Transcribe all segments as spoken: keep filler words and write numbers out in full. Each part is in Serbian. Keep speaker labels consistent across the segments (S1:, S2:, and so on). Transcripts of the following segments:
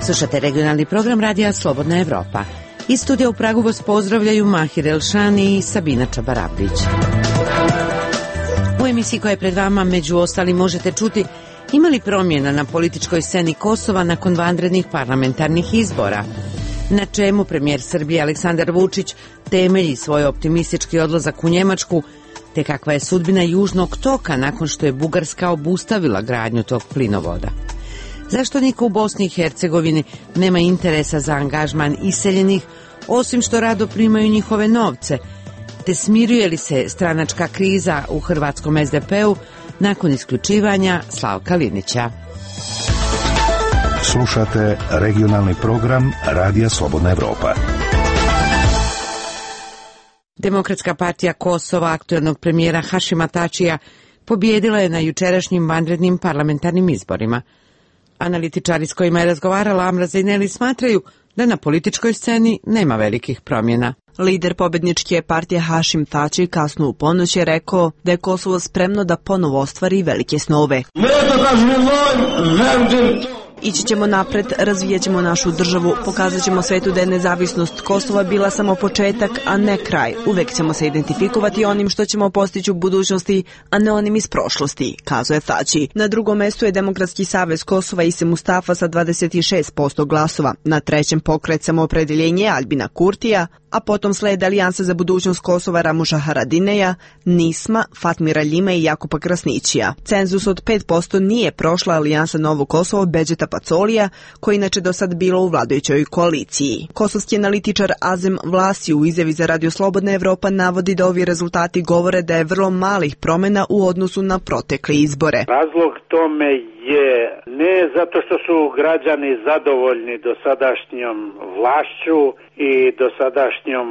S1: Slušate regionalni program radija Slobodna Evropa. Iz studija u Pragu vas pozdravljaju Mahir Elšani i Sabina Čabarapić. U emisiji koja je pred vama među ostalim možete čuti ima li promjena na političkoj sceni Kosova nakon vanrednih parlamentarnih izbora, na čemu premijer Srbije Aleksandar Vučić temelji svoj optimistički odlazak u Njemačku, te kakva je sudbina Južnog toka nakon što je Bugarska obustavila gradnju tog plinovoda. Zašto niko u Bosni i Hercegovini nema interesa za angažman iseljenih, osim što rado primaju njihove novce, te smiruje li se stranačka kriza u hrvatskom es de pe-u nakon isključivanja Slavka Linića?
S2: Slušate regionalni program Radija Slobodna Evropa.
S1: Demokratska partija Kosova aktuelnog premijera Hašima Tačija pobjedila je na jučerašnjim vanrednim parlamentarnim izborima. Analitičari s kojima je razgovarala Amra Zejneli smatraju da na političkoj sceni nema velikih promjena.
S3: Lider pobjedničke partije Hašim Tači kasno u ponoć je rekao da je Kosovo spremno da ponovo ostvari velike snove. Ići ćemo napred, razvijat ćemo našu državu, pokazat ćemo svetu da je nezavisnost Kosova bila samo početak, a ne kraj. Uvek ćemo se identifikovati onim što ćemo postići u budućnosti, a ne onim iz prošlosti, kazuje Tači. Na drugom mestu je Demokratski savez Kosova Ise Mustafa sa dvadeset šest posto glasova. Na trećem Pokret Samoopredeljenje Albina Kurtija, a potom slede Alijansa za budućnost Kosova Ramuša Haradineja, Nisma, Fatmira Ljima i Jakupa Krasnićija. Cenzus od pet posto nije prošla Alijansa Novo Kosovo Bedžeta Pacolija, koji inače do sad bilo u vladajućoj koaliciji. Kosovski analitičar Azem Vlasi u izjavi za Radio Slobodna Evropa navodi da ovi rezultati govore da je vrlo malih promjena u odnosu na protekle izbore.
S4: Razlog tome je ne zato što su građani zadovoljni dosadašnjom vlašću i dosadašnjom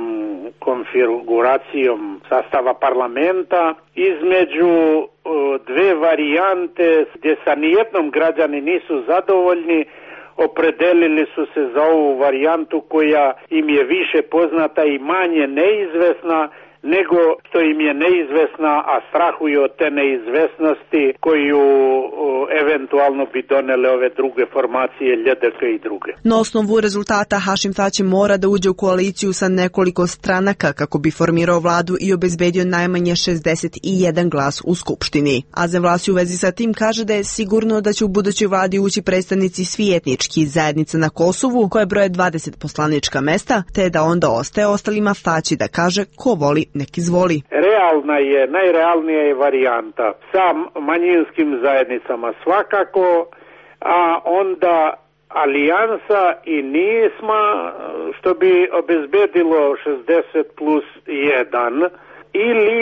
S4: konfiguracijom sastava parlamenta, između dve varijante gdje sa nijednom građani nisu zadovoljni, opredelili su se za ovu varijantu koja im je više poznata i manje neizvesna nego što im je neizvesna, a strahuju od te neizvesnosti koju o, eventualno bi donele ove druge formacije, Lj D K i druge.
S3: Na osnovu rezultata Hašim Tači mora da uđe u koaliciju sa nekoliko stranaka kako bi formirao vladu i obezbedio najmanje šezdeset jedan glas u Skupštini. Azem Vlasi u vezi sa tim kaže da je sigurno da će u budućoj vladi ući predstavnici svih etničkih zajednica na Kosovu, koje broje dvadeset poslanička mesta, te da onda ostaje ostalima Tači da kaže ko voli nek izvoli.
S4: Realna je, najrealnija je varijanta sa manjinskim zajednicama svakako, a onda Alijansa i Nisma, što bi obezbedilo šezdeset plus jedan, ili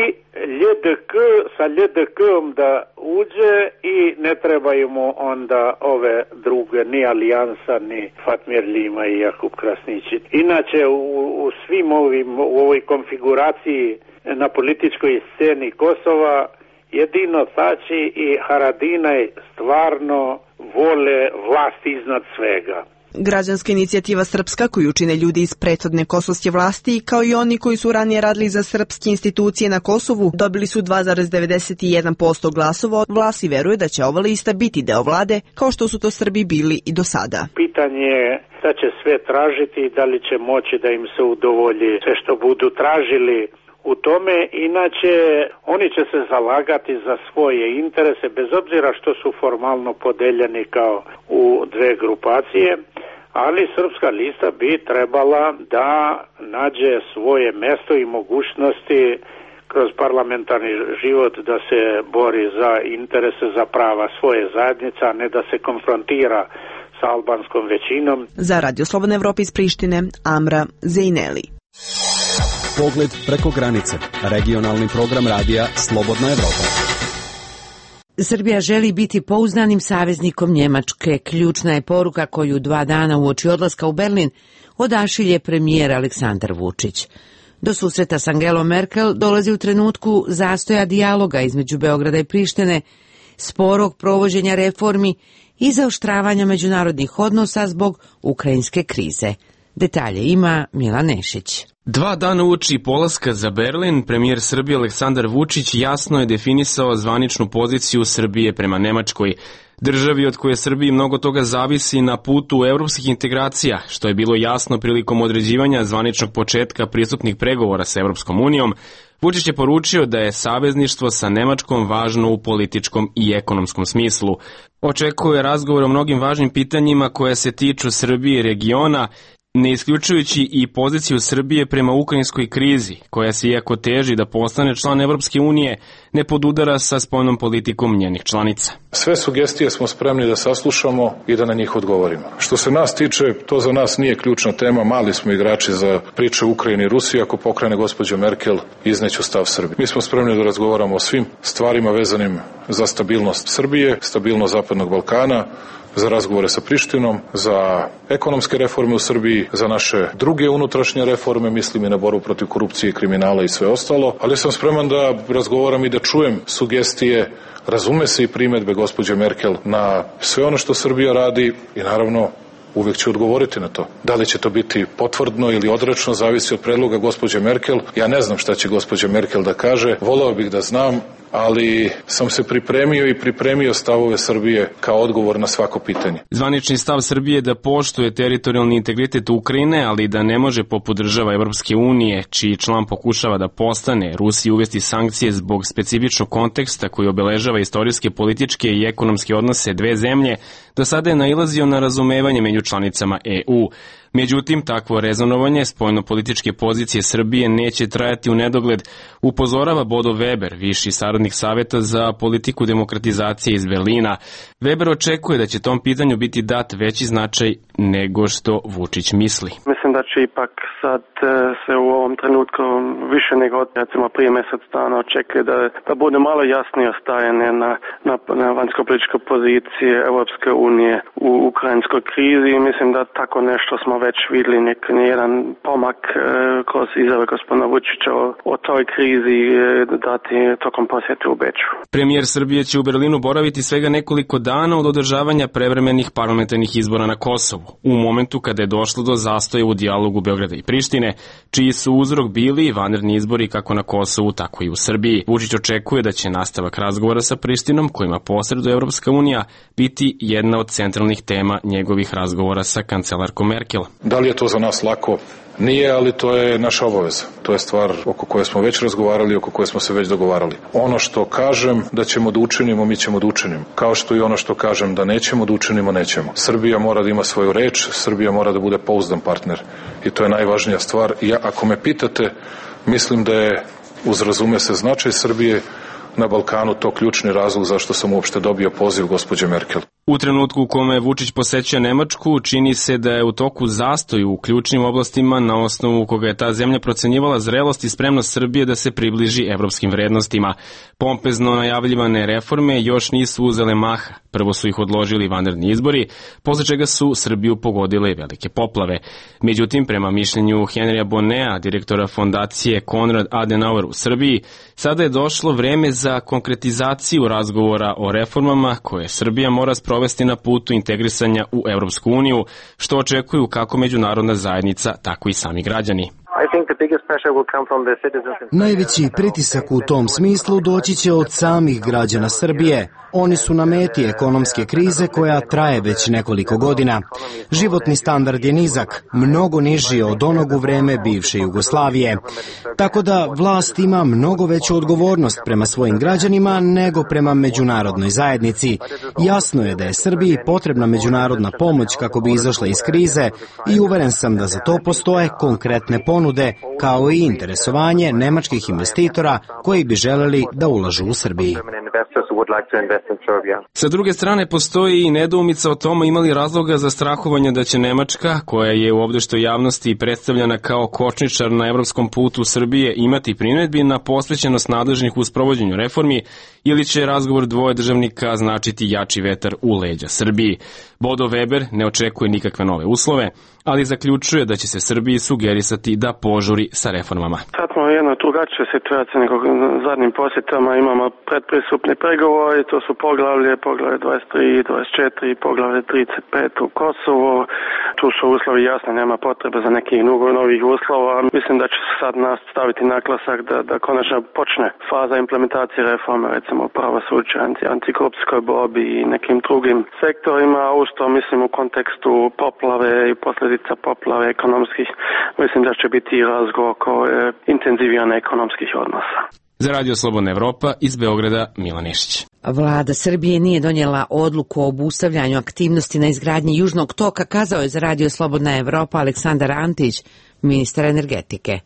S4: Lj D K sa Lj D K-om da uđe i ne trebaju mu onda ove druge, ni Alijansa, ni Fatmir Ljima i Jakub Krasnići. Inače, u, u svim ovim, u ovoj konfiguraciji na političkoj sceni Kosova, jedino Tači i Haradinaj stvarno vole vlast iznad svega.
S3: Građanska inicijativa Srpska, koju čine ljudi iz prethodne kosovske vlasti, kao i oni koji su ranije radili za srpske institucije na Kosovu, dobili su dva zarez devedeset jedan posto glasova. Vlasi veruje da će ova lista biti deo vlade, kao što su to Srbi bili i do sada.
S4: Pitanje je da će sve tražiti i da li će moći da im se udovolji sve što budu tražili u tome, inače oni će se zalagati za svoje interese bez obzira što su formalno podeljeni kao u dve grupacije, ali srpska lista bi trebala da nađe svoje mesto i mogućnosti kroz parlamentarni život da se bori za interese, za prava svoje zajednice, a ne da se konfrontira sa albanskom većinom.
S3: Za Radio Slobodna Evropa iz Prištine, Amra Zejneli.
S5: Pogled preko granice. Regionalni program radija Slobodna Evropa.
S1: Srbija želi biti pouzdanim saveznikom Njemačke. Ključna je poruka koju dva dana uoči odlaska u Berlin odašilje premijer Aleksandar Vučić. Do susreta s Angelom Merkel dolazi u trenutku zastoja dijaloga između Beograda i Prištine, sporog provođenja reformi i zaoštravanja međunarodnih odnosa zbog ukrajinske krize. Detalje ima Milan Nešić.
S6: Dva dana uoči polaska za Berlin, premijer Srbije Aleksandar Vučić jasno je definisao zvaničnu poziciju Srbije prema Nemačkoj. Državi od koje Srbiji mnogo toga zavisi na putu evropskih integracija, što je bilo jasno prilikom određivanja zvaničnog početka pristupnih pregovora sa Evropskom unijom, Vučić je poručio da je savezništvo sa Nemačkom važno u političkom i ekonomskom smislu. Očekuje razgovor o mnogim važnim pitanjima koja se tiču Srbije i regiona, ne isključujući i poziciju Srbije prema ukrajinskoj krizi, koja se iako teži da postane član Evropske unije, ne podudara sa spoljnom politikom njenih članica.
S7: Sve sugestije smo spremni da saslušamo i da na njih odgovorimo. Što se nas tiče, to za nas nije ključna tema, mali smo igrači za priče Ukrajine i Rusije, ako pokrene gospođa Merkel, izneću stav Srbije. Mi smo spremni da razgovaramo o svim stvarima vezanim za stabilnost Srbije, stabilnost Zapadnog Balkana, za razgovore sa Prištinom, za ekonomske reforme u Srbiji, za naše druge unutrašnje reforme, mislim i na borbu protiv korupcije i kriminala i sve ostalo, ali sam spreman da razgovaram i da čujem sugestije, razume se i primedbe gospođe Merkel na sve ono što Srbija radi i naravno uvijek ću odgovoriti na to. Da li će to biti potvrdno ili odrečno, zavisi od predloga gospođe Merkel. Ja ne znam šta će gospođa Merkel da kaže, voleo bih da znam, ali sam se pripremio i pripremio stavove Srbije kao odgovor na svako pitanje.
S6: Zvanični stav Srbije je da poštuje teritorijalni integritet Ukrajine, ali da ne može poput država Evropske unije, čiji član pokušava da postane, Rusiji uvesti sankcije zbog specifičnog konteksta koji obeležava istorijske, političke i ekonomske odnose dve zemlje, do sada je nailazio na razumevanje među članicama E U. Međutim, takvo rezonovanje spoljno-političke pozicije Srbije neće trajati u nedogled, upozorava Bodo Weber, viši saradnik Saveta za politiku demokratizacije iz Berlina. Weber očekuje da će tom pitanju biti dat veći značaj nego što Vučić misli.
S8: Mislim da će ipak sad se u ovom trenutku više nego recimo prije mjesec dana očekuje da, da bude malo jasnije stajanje na, na, na vanjsko-političke pozicije Europske unije u ukrajinskoj krizi i mislim da tako nešto smo već vidjeli nek jedan pomak e, kroz izjave gospodina Vučića o, o toj krizi e, dati tokom posjete u Beču.
S6: Premijer Srbije će u Berlinu boraviti svega nekoliko dana od održavanja prevremenih parlamentarnih izbora na Kosovu, u momentu kada je došlo do zastoja u dijalogu Beograda i Prištine, čiji su uzrok bili vanredni izbori kako na Kosovu, tako i u Srbiji. Vučić očekuje da će nastavak razgovora sa Prištinom, kojima posreduje Evropska unija, biti jedna od centralnih tema njegovih razgovora sa kancelarkom Merkel.
S7: Da li je to za nas lako? Nije, ali to je naša obaveza. To je stvar oko koje smo već razgovarali, oko koje smo se već dogovarali. Ono što kažem da ćemo da učinimo, mi ćemo da učinimo. Kao što i ono što kažem da nećemo da učinimo, nećemo. Srbija mora da ima svoju reč, Srbija mora da bude pouzdan partner. I to je najvažnija stvar. Ja, ako me pitate, mislim da je, uz razume se značaj Srbije na Balkanu, to ključni razlog zašto sam uopšte dobio poziv gospođe Merkel.
S6: U trenutku u kome Vučić posećuje Nemačku, čini se da je u toku zastoj u ključnim oblastima na osnovu koga je ta zemlja procenjivala zrelost i spremnost Srbije da se približi evropskim vrednostima. Pompezno najavljivane reforme još nisu uzele maha. Prvo su ih odložili vanredni izbori, posle čega su Srbiju pogodile velike poplave. Međutim, prema mišljenju Henrya Bonnea, direktora fondacije Konrad Adenauer u Srbiji, sada je došlo vreme za konkretizaciju razgovora o reformama koje Srbija mora sprovesti na putu integrisanja u Evropsku uniju, što očekuju kako međunarodna zajednica, tako i sami građani.
S9: Najveći pritisak u tom smislu doći će od samih građana Srbije. Oni su na meti ekonomske krize koja traje već nekoliko godina. Životni standard je nizak, mnogo niži od onog u vreme bivše Jugoslavije. Tako da vlast ima mnogo veću odgovornost prema svojim građanima nego prema međunarodnoj zajednici. Jasno je da je Srbiji potrebna međunarodna pomoć kako bi izašla iz krize i uveren sam da za to postoje konkretne ponude, kao i interesovanje nemačkih investitora koji bi želeli da ulažu u Srbiji.
S6: Sa druge strane, postoji i nedoumica o tome imali razloga za strahovanje da će Nemačka, koja je u ovdeštoj javnosti predstavljena kao kočničar na evropskom putu Srbije, imati primedbi na posvećenost nadležnih u sprovođenju reformi, ili će razgovor dvoje državnika značiti jači vetar u leđa Srbiji. Bodo Weber ne očekuje nikakve nove uslove, ali zaključuje da će se Srbiji sugerisati da požuri sa reformama.
S8: Sad smo u jednoj drugačijoj situaciji nego zadnjim posjetama, imamo predpristupne pristupni pregovori, to su poglavlje, poglavlje dvadeset tri i dvadeset četiri i poglavlje trideset pet u Kosovo. Tu su uslovi jasni, nema potrebe za nekih novih uslova. Mislim da će se sad staviti naglasak da, da konačno počne faza implementacije reforme, recimo pravosuđa, antikorupcijskoj borbi i nekim drugim sektorima. Usto mislim u kontekstu poplave i posljedica poplave ekonomskih, mislim da će biti i razgovor oko intenzivijane ekonomskih odnosa.
S6: Za Radio Slobodna Evropa iz Beograda Milan Išić.
S1: Vlada Srbije nije donijela odluku o obustavljanju aktivnosti na izgradnji Južnog toka, kazao je za Radio Slobodna Evropa Aleksandar Antić, ministar energetike.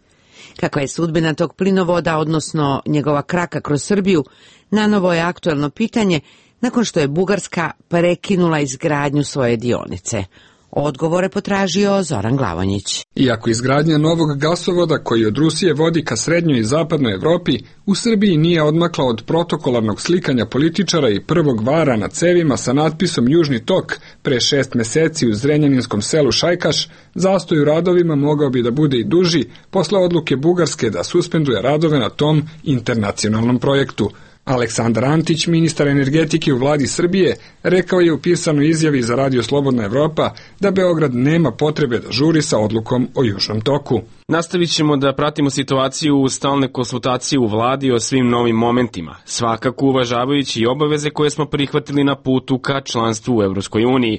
S1: Kakva je sudbina tog plinovoda, odnosno njegova kraka kroz Srbiju, nanovo je aktuelno pitanje nakon što je Bugarska prekinula izgradnju svoje dionice. Odgovore potražio Zoran Glavonjić.
S10: Iako izgradnja novog gasovoda koji od Rusije vodi ka srednjoj i zapadnoj Evropi, u Srbiji nije odmakla od protokolarnog slikanja političara i prvog vara na cevima sa natpisom Južni tok pre šest meseci u zrenjaninskom selu Šajkaš, zastoj u radovima mogao bi da bude i duži posle odluke Bugarske da suspenduje radove na tom internacionalnom projektu. Aleksandar Antić, ministar energetike u vladi Srbije, rekao je u pisanoj izjavi za Radio Slobodna Evropa da Beograd nema potrebe da žuri sa odlukom o Južnom toku.
S6: Nastavit ćemo da pratimo situaciju u stalne konsultacije u vladi o svim novim momentima, svakako uvažavajući i obaveze koje smo prihvatili na putu ka članstvu u Evropskoj uniji.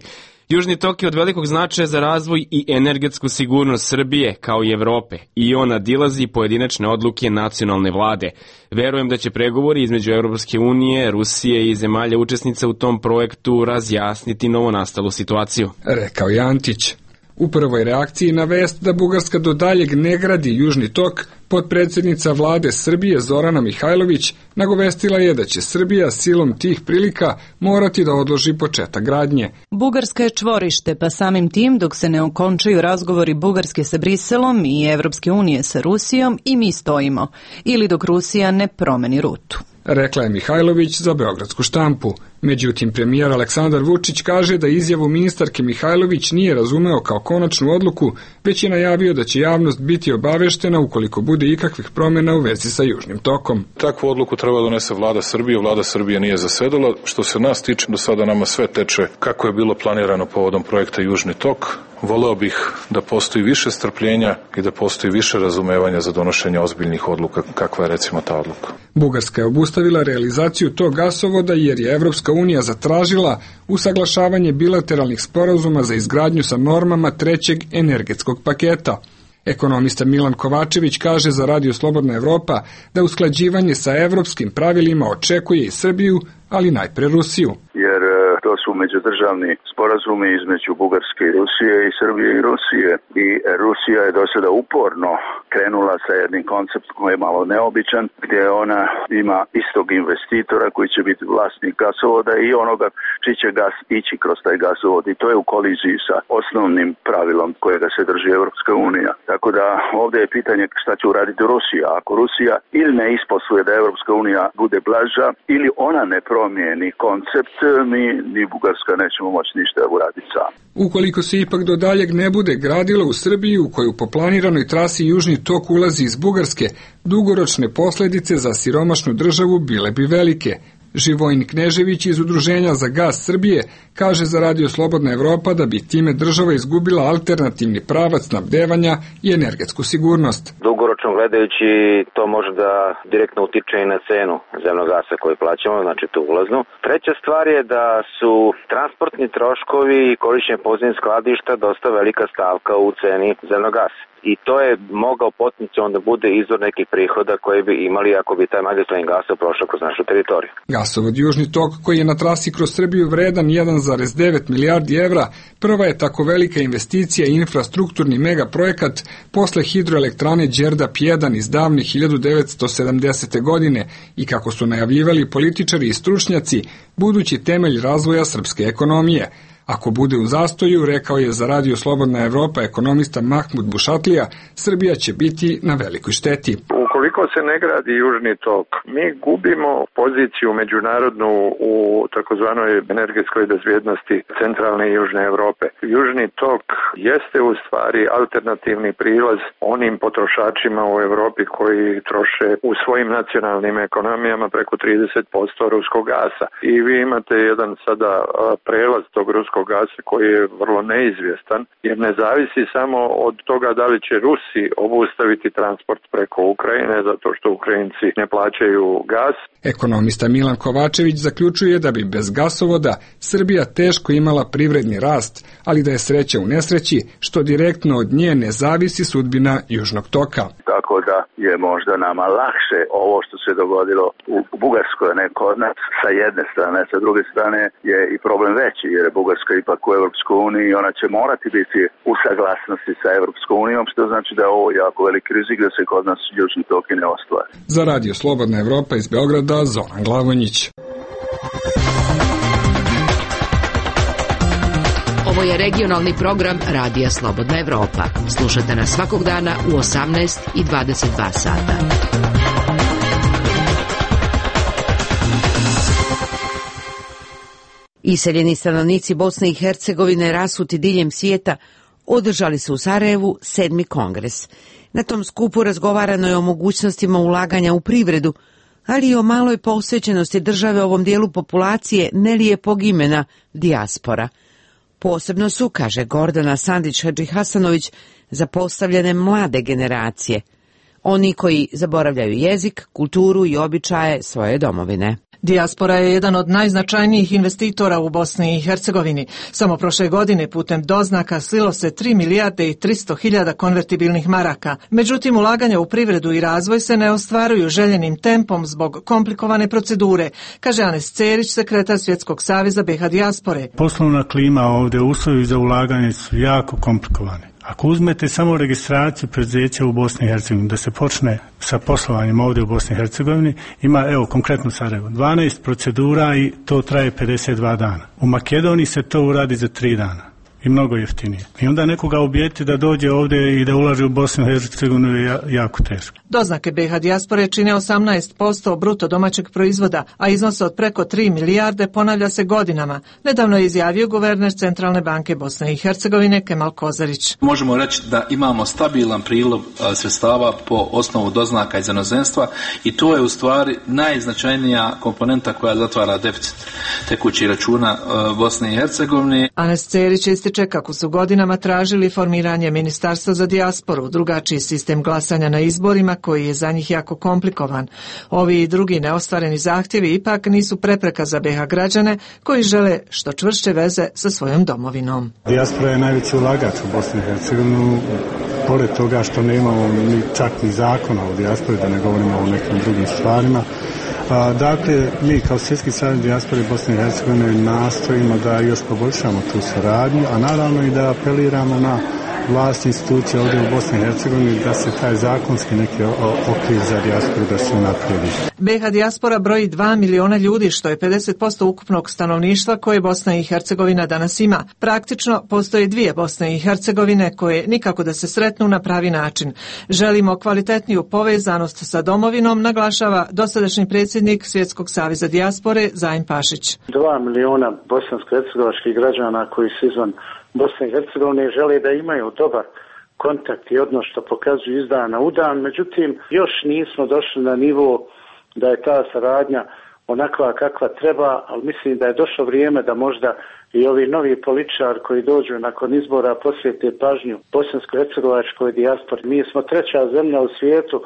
S6: Južni tok je od velikog značaja za razvoj i energetsku sigurnost Srbije, kao i Evrope, i on nadilazi pojedinačne odluke nacionalne vlade. Verujem da će pregovori između Evropske unije, Rusije i zemalja učesnica u tom projektu razjasniti novonastalu situaciju,
S10: rekao je Antić. U prvoj reakciji na vest da Bugarska do daljeg ne gradi Južni tok, potpredsjednica vlade Srbije Zorana Mihajlović nagovestila je da će Srbija silom tih prilika morati da odloži početak gradnje.
S11: Bugarska je čvorište, pa samim tim dok se ne okončaju razgovori Bugarske sa Briselom i Evropske unije sa Rusijom i mi stojimo, ili dok Rusija ne promeni rutu,
S10: rekla je Mihajlović za beogradsku štampu. Međutim, premijer Aleksandar Vučić kaže da izjavu ministarke Mihajlović nije razumeo kao konačnu odluku, već je najavio da će javnost biti obaveštena ukoliko bude ikakvih promjena u vezi sa Južnim tokom.
S7: Takvu odluku treba donese vlada Srbije, vlada Srbije nije zasedala. Što se nas tiče, do sada nama sve teče kako je bilo planirano povodom projekta Južni tok. Voleo bih da postoji više strpljenja i da postoji više razumevanja za donošenje ozbiljnih odluka, kakva je recimo ta odluka.
S10: Bugarska je obustavila realizaciju tog gasovoda jer je Evropska unija zatražila usaglašavanje bilateralnih sporazuma za izgradnju sa normama trećeg energetskog paketa. Ekonomista Milan Kovačević kaže za Radio Slobodna Evropa da usklađivanje sa evropskim pravilima očekuje i Srbiju, ali najpre Rusiju.
S12: Jer to su međudržavni sporazumi između Bugarske i Rusije i Srbije i Rusije. I Rusija je do sada uporno krenula sa jednim konceptom koji je malo neobičan, gdje ona ima istog investitora koji će biti vlasnik gasovoda i onoga čiji će gas ići kroz taj gasovod. I to je u koliziji sa osnovnim pravilom kojega se drži Evropska unija. Tako da ovdje je pitanje šta će uraditi Rusija. Ako Rusija ili ne isposluje da Evropska unija bude blaža ili ona ne promijeni koncept, mi ni Bugarska nećemo moći ništa uraditi sam.
S10: Ukoliko se ipak do daljeg ne bude gradilo u Srbiji, u koju po planiranoj trasi Južni tok ulazi iz Bugarske, dugoročne posljedice za siromašnu državu bile bi velike. Živojin Knežević iz Udruženja za gas Srbije kaže za Radio Slobodna Evropa da bi time država izgubila alternativni pravac snabdevanja i energetsku sigurnost.
S13: Dugoročno gledajući to može da direktno utiče i na cenu zemnog gasa koji plaćamo, znači tu ulaznu. Treća stvar je da su transportni troškovi i korišćenje podzemnih skladišta dosta velika stavka u ceni zemnog gasa. I to je mogao potencijalno da bude izvor nekih prihoda koje bi imali ako bi taj magistralni gasov prošao kroz našu teritoriju.
S10: Gasovod Južni tok koji je na trasi kroz Srbiju vredan jedan zarez devet milijardi evra, prva je tako velika investicija i infrastrukturni megaprojekat posle hidroelektrane Đerdap jedan iz davne hiljadu devetsto sedamdesete. godine i kako su najavljivali političari i stručnjaci, budući temelj razvoja srpske ekonomije. Ako bude u zastoju, rekao je za Radio Slobodna Evropa ekonomista Mahmud Bušatlija, Srbija će biti na velikoj šteti.
S14: Ukoliko se ne gradi Južni tok, mi gubimo poziciju međunarodnu u takozvanoj energetskoj bezbjednosti centralne i južne Europe. Južni tok jeste u stvari alternativni prilaz onim potrošačima u Europi koji troše u svojim nacionalnim ekonomijama preko trideset posto ruskog gasa. I vi imate jedan sada prelaz tog ruskog gasa koji je vrlo neizvjestan, jer ne zavisi samo od toga da li će Rusi obustaviti transport preko Ukrajine zato što Ukrajinci ne plaćaju gas.
S10: Ekonomista Milan Kovačević zaključuje da bi bez gasovoda Srbija teško imala privredni rast, ali da je sreća u nesreći što direktno od nje ne zavisi sudbina Južnog toka.
S12: Tako da je možda nama lakše ovo što se dogodilo u Bugarskoj, ne kod nas, sa jedne strane, sa druge strane je i problem veći jer je Bugarska ipak u Evropskoj uniji i ona će morati biti u saglasnosti sa Evropskom unijom, što znači da je ovo jako veliki rizik da se kod nas Južni tok i ne ostvari.
S10: Za Radio Slobodna Evropa iz Beograda, Zoran Glavonjić.
S15: Ovo je regionalni program Radija Slobodna Evropa. Slušajte nas svakog dana u osamnaest i dvadeset dva sata.
S1: Iseljeni stanovnici Bosne i Hercegovine rasuti diljem svijeta održali su u Sarajevu sedmi kongres. Na tom skupu razgovarano je o mogućnostima ulaganja u privredu, ali i o maloj posvećenosti države ovom dijelu populacije nelijepog imena dijaspora. Posebno su, kaže Gordana Sandić-Hadžihasanović, zapostavljene mlade generacije, oni koji zaboravljaju jezik, kulturu i običaje svoje domovine.
S16: Dijaspora je jedan od najznačajnijih investitora u Bosni i Hercegovini. Samo prošle godine putem doznaka slilo se tri milijarde i tristo hiljada konvertibilnih maraka. Međutim, ulaganja u privredu i razvoj se ne ostvaruju željenim tempom zbog komplikovane procedure, kaže Anes Cerić, sekretar Svjetskog saveza B i H dijaspore.
S17: Poslovna klima ovdje, uslovi za ulaganje su jako komplikovani. Ako uzmete samo registraciju preduzeća u Bosni i Hercegovini, da se počne sa poslovanjem ovdje u Bosni i Hercegovini, ima, evo, konkretno Sarajevo, dvanaest procedura i to traje pedeset dva dana. U Makedoniji se to uradi za tri dana. I mnogo jeftinije. I onda nekoga ubijeti da dođe ovdje i da ulaže u Bosnu i Hercegovinu je jako teško.
S16: Doznake B i H dijaspore čine osamnaest posto bruto domaćeg proizvoda, a iznos od preko tri milijarde ponavlja se godinama. Nedavno je izjavio guverner Centralne banke Bosne i Hercegovine Kemal Kozarić.
S18: Možemo reći da imamo stabilan prilov sredstava po osnovu doznaka iz inozemstva i to je u stvari najznačajnija komponenta koja zatvara deficit tekućih računa Bosne i Hercegovine.
S16: Anes Cerić ističe kako su godinama tražili formiranje Ministarstva za dijasporu, drugačiji sistem glasanja na izborima koji je za njih jako komplikovan. Ovi i drugi neostvareni zahtjevi ipak nisu prepreka za B i H građane koji žele što čvršće veze sa svojom domovinom.
S17: Dijaspora je najveći ulagač u Bosni i Hercegovini, pored toga što nemamo ni čak ni zakona o dijaspori, da ne govorimo o nekim drugim stvarima. A, dakle, mi kao Svjetski savez dijaspore Bosne i Hercegovine nastojimo da još poboljšamo tu suradnju, a naravno i da apeliramo na vlast institucije ovdje u Bosni i Hercegovini da se taj zakonski neki okvir za dijasporu da se unaprijedi.
S16: B i H dijaspora broji dva miliona ljudi, što je pedeset posto ukupnog stanovništva koje Bosna i Hercegovina danas ima. Praktično postoje dvije Bosne i Hercegovine koje nikako da se sretnu na pravi način. Želimo kvalitetniju povezanost sa domovinom, naglašava dosadašnji predsjednik Svjetskog saveza dijaspore Zajin Pašić.
S19: Dva miliona bosansko-hercegovačkih građana koji su izvan Bosne i Hercegovine žele da imaju dobar kontakt i odnos što pokazuju iz dana u dan, međutim još nismo došli na nivo da je ta saradnja onakva kakva treba, ali mislim da je došlo vrijeme da možda i ovi novi političari koji dođu nakon izbora posvete pažnju bosansko-hercegovačkoj dijaspori. Mi smo treća zemlja u svijetu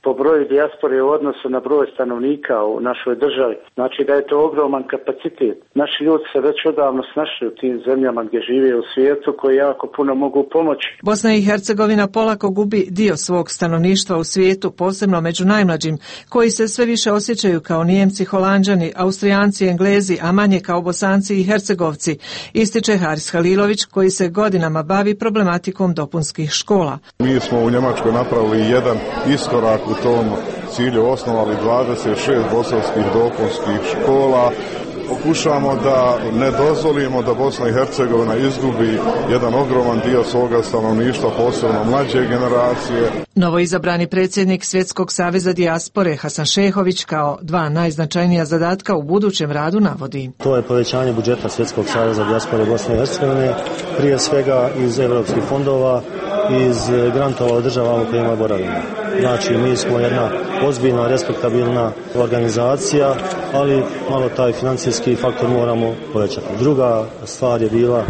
S19: po broju dijaspore u odnosu na broj stanovnika u našoj državi. Znači da je to ogroman kapacitet. Naši ljudi se već odavno snašli u tim zemljama gdje žive u svijetu koji jako puno mogu pomoći.
S16: Bosna i Hercegovina polako gubi dio svog stanovništva u svijetu, posebno među najmlađim, koji se sve više osjećaju kao Nijemci, Holanđani, Austrijanci, Englezi, a manje kao Bosanci i Hercegovci, ističe Haris Halilović koji se godinama bavi problematikom dopunskih škola.
S20: Mi smo u Njemačkoj napravili jedan iskorak u tom cilju, osnovali dvadeset šest bosanskih dopunskih škola pokušamo da ne dozvolimo da Bosna i Hercegovina izgubi jedan ogroman dio svoga stanovništva, posebno mlađe generacije.
S16: Novoizabrani predsjednik Svjetskog saveza dijaspore Hasan Šehović kao dva najznačajnija zadatka u budućem radu navodi.
S21: To je povećanje budžeta Svjetskog saveza dijaspore Bosne i Hercegovine, prije svega iz evropskih fondova, iz grantova od država u kojima boravimo. Znači, mi smo jedna ozbiljna, respektabilna organizacija, ali malo taj financijski faktor moramo povećati. Druga stvar je bila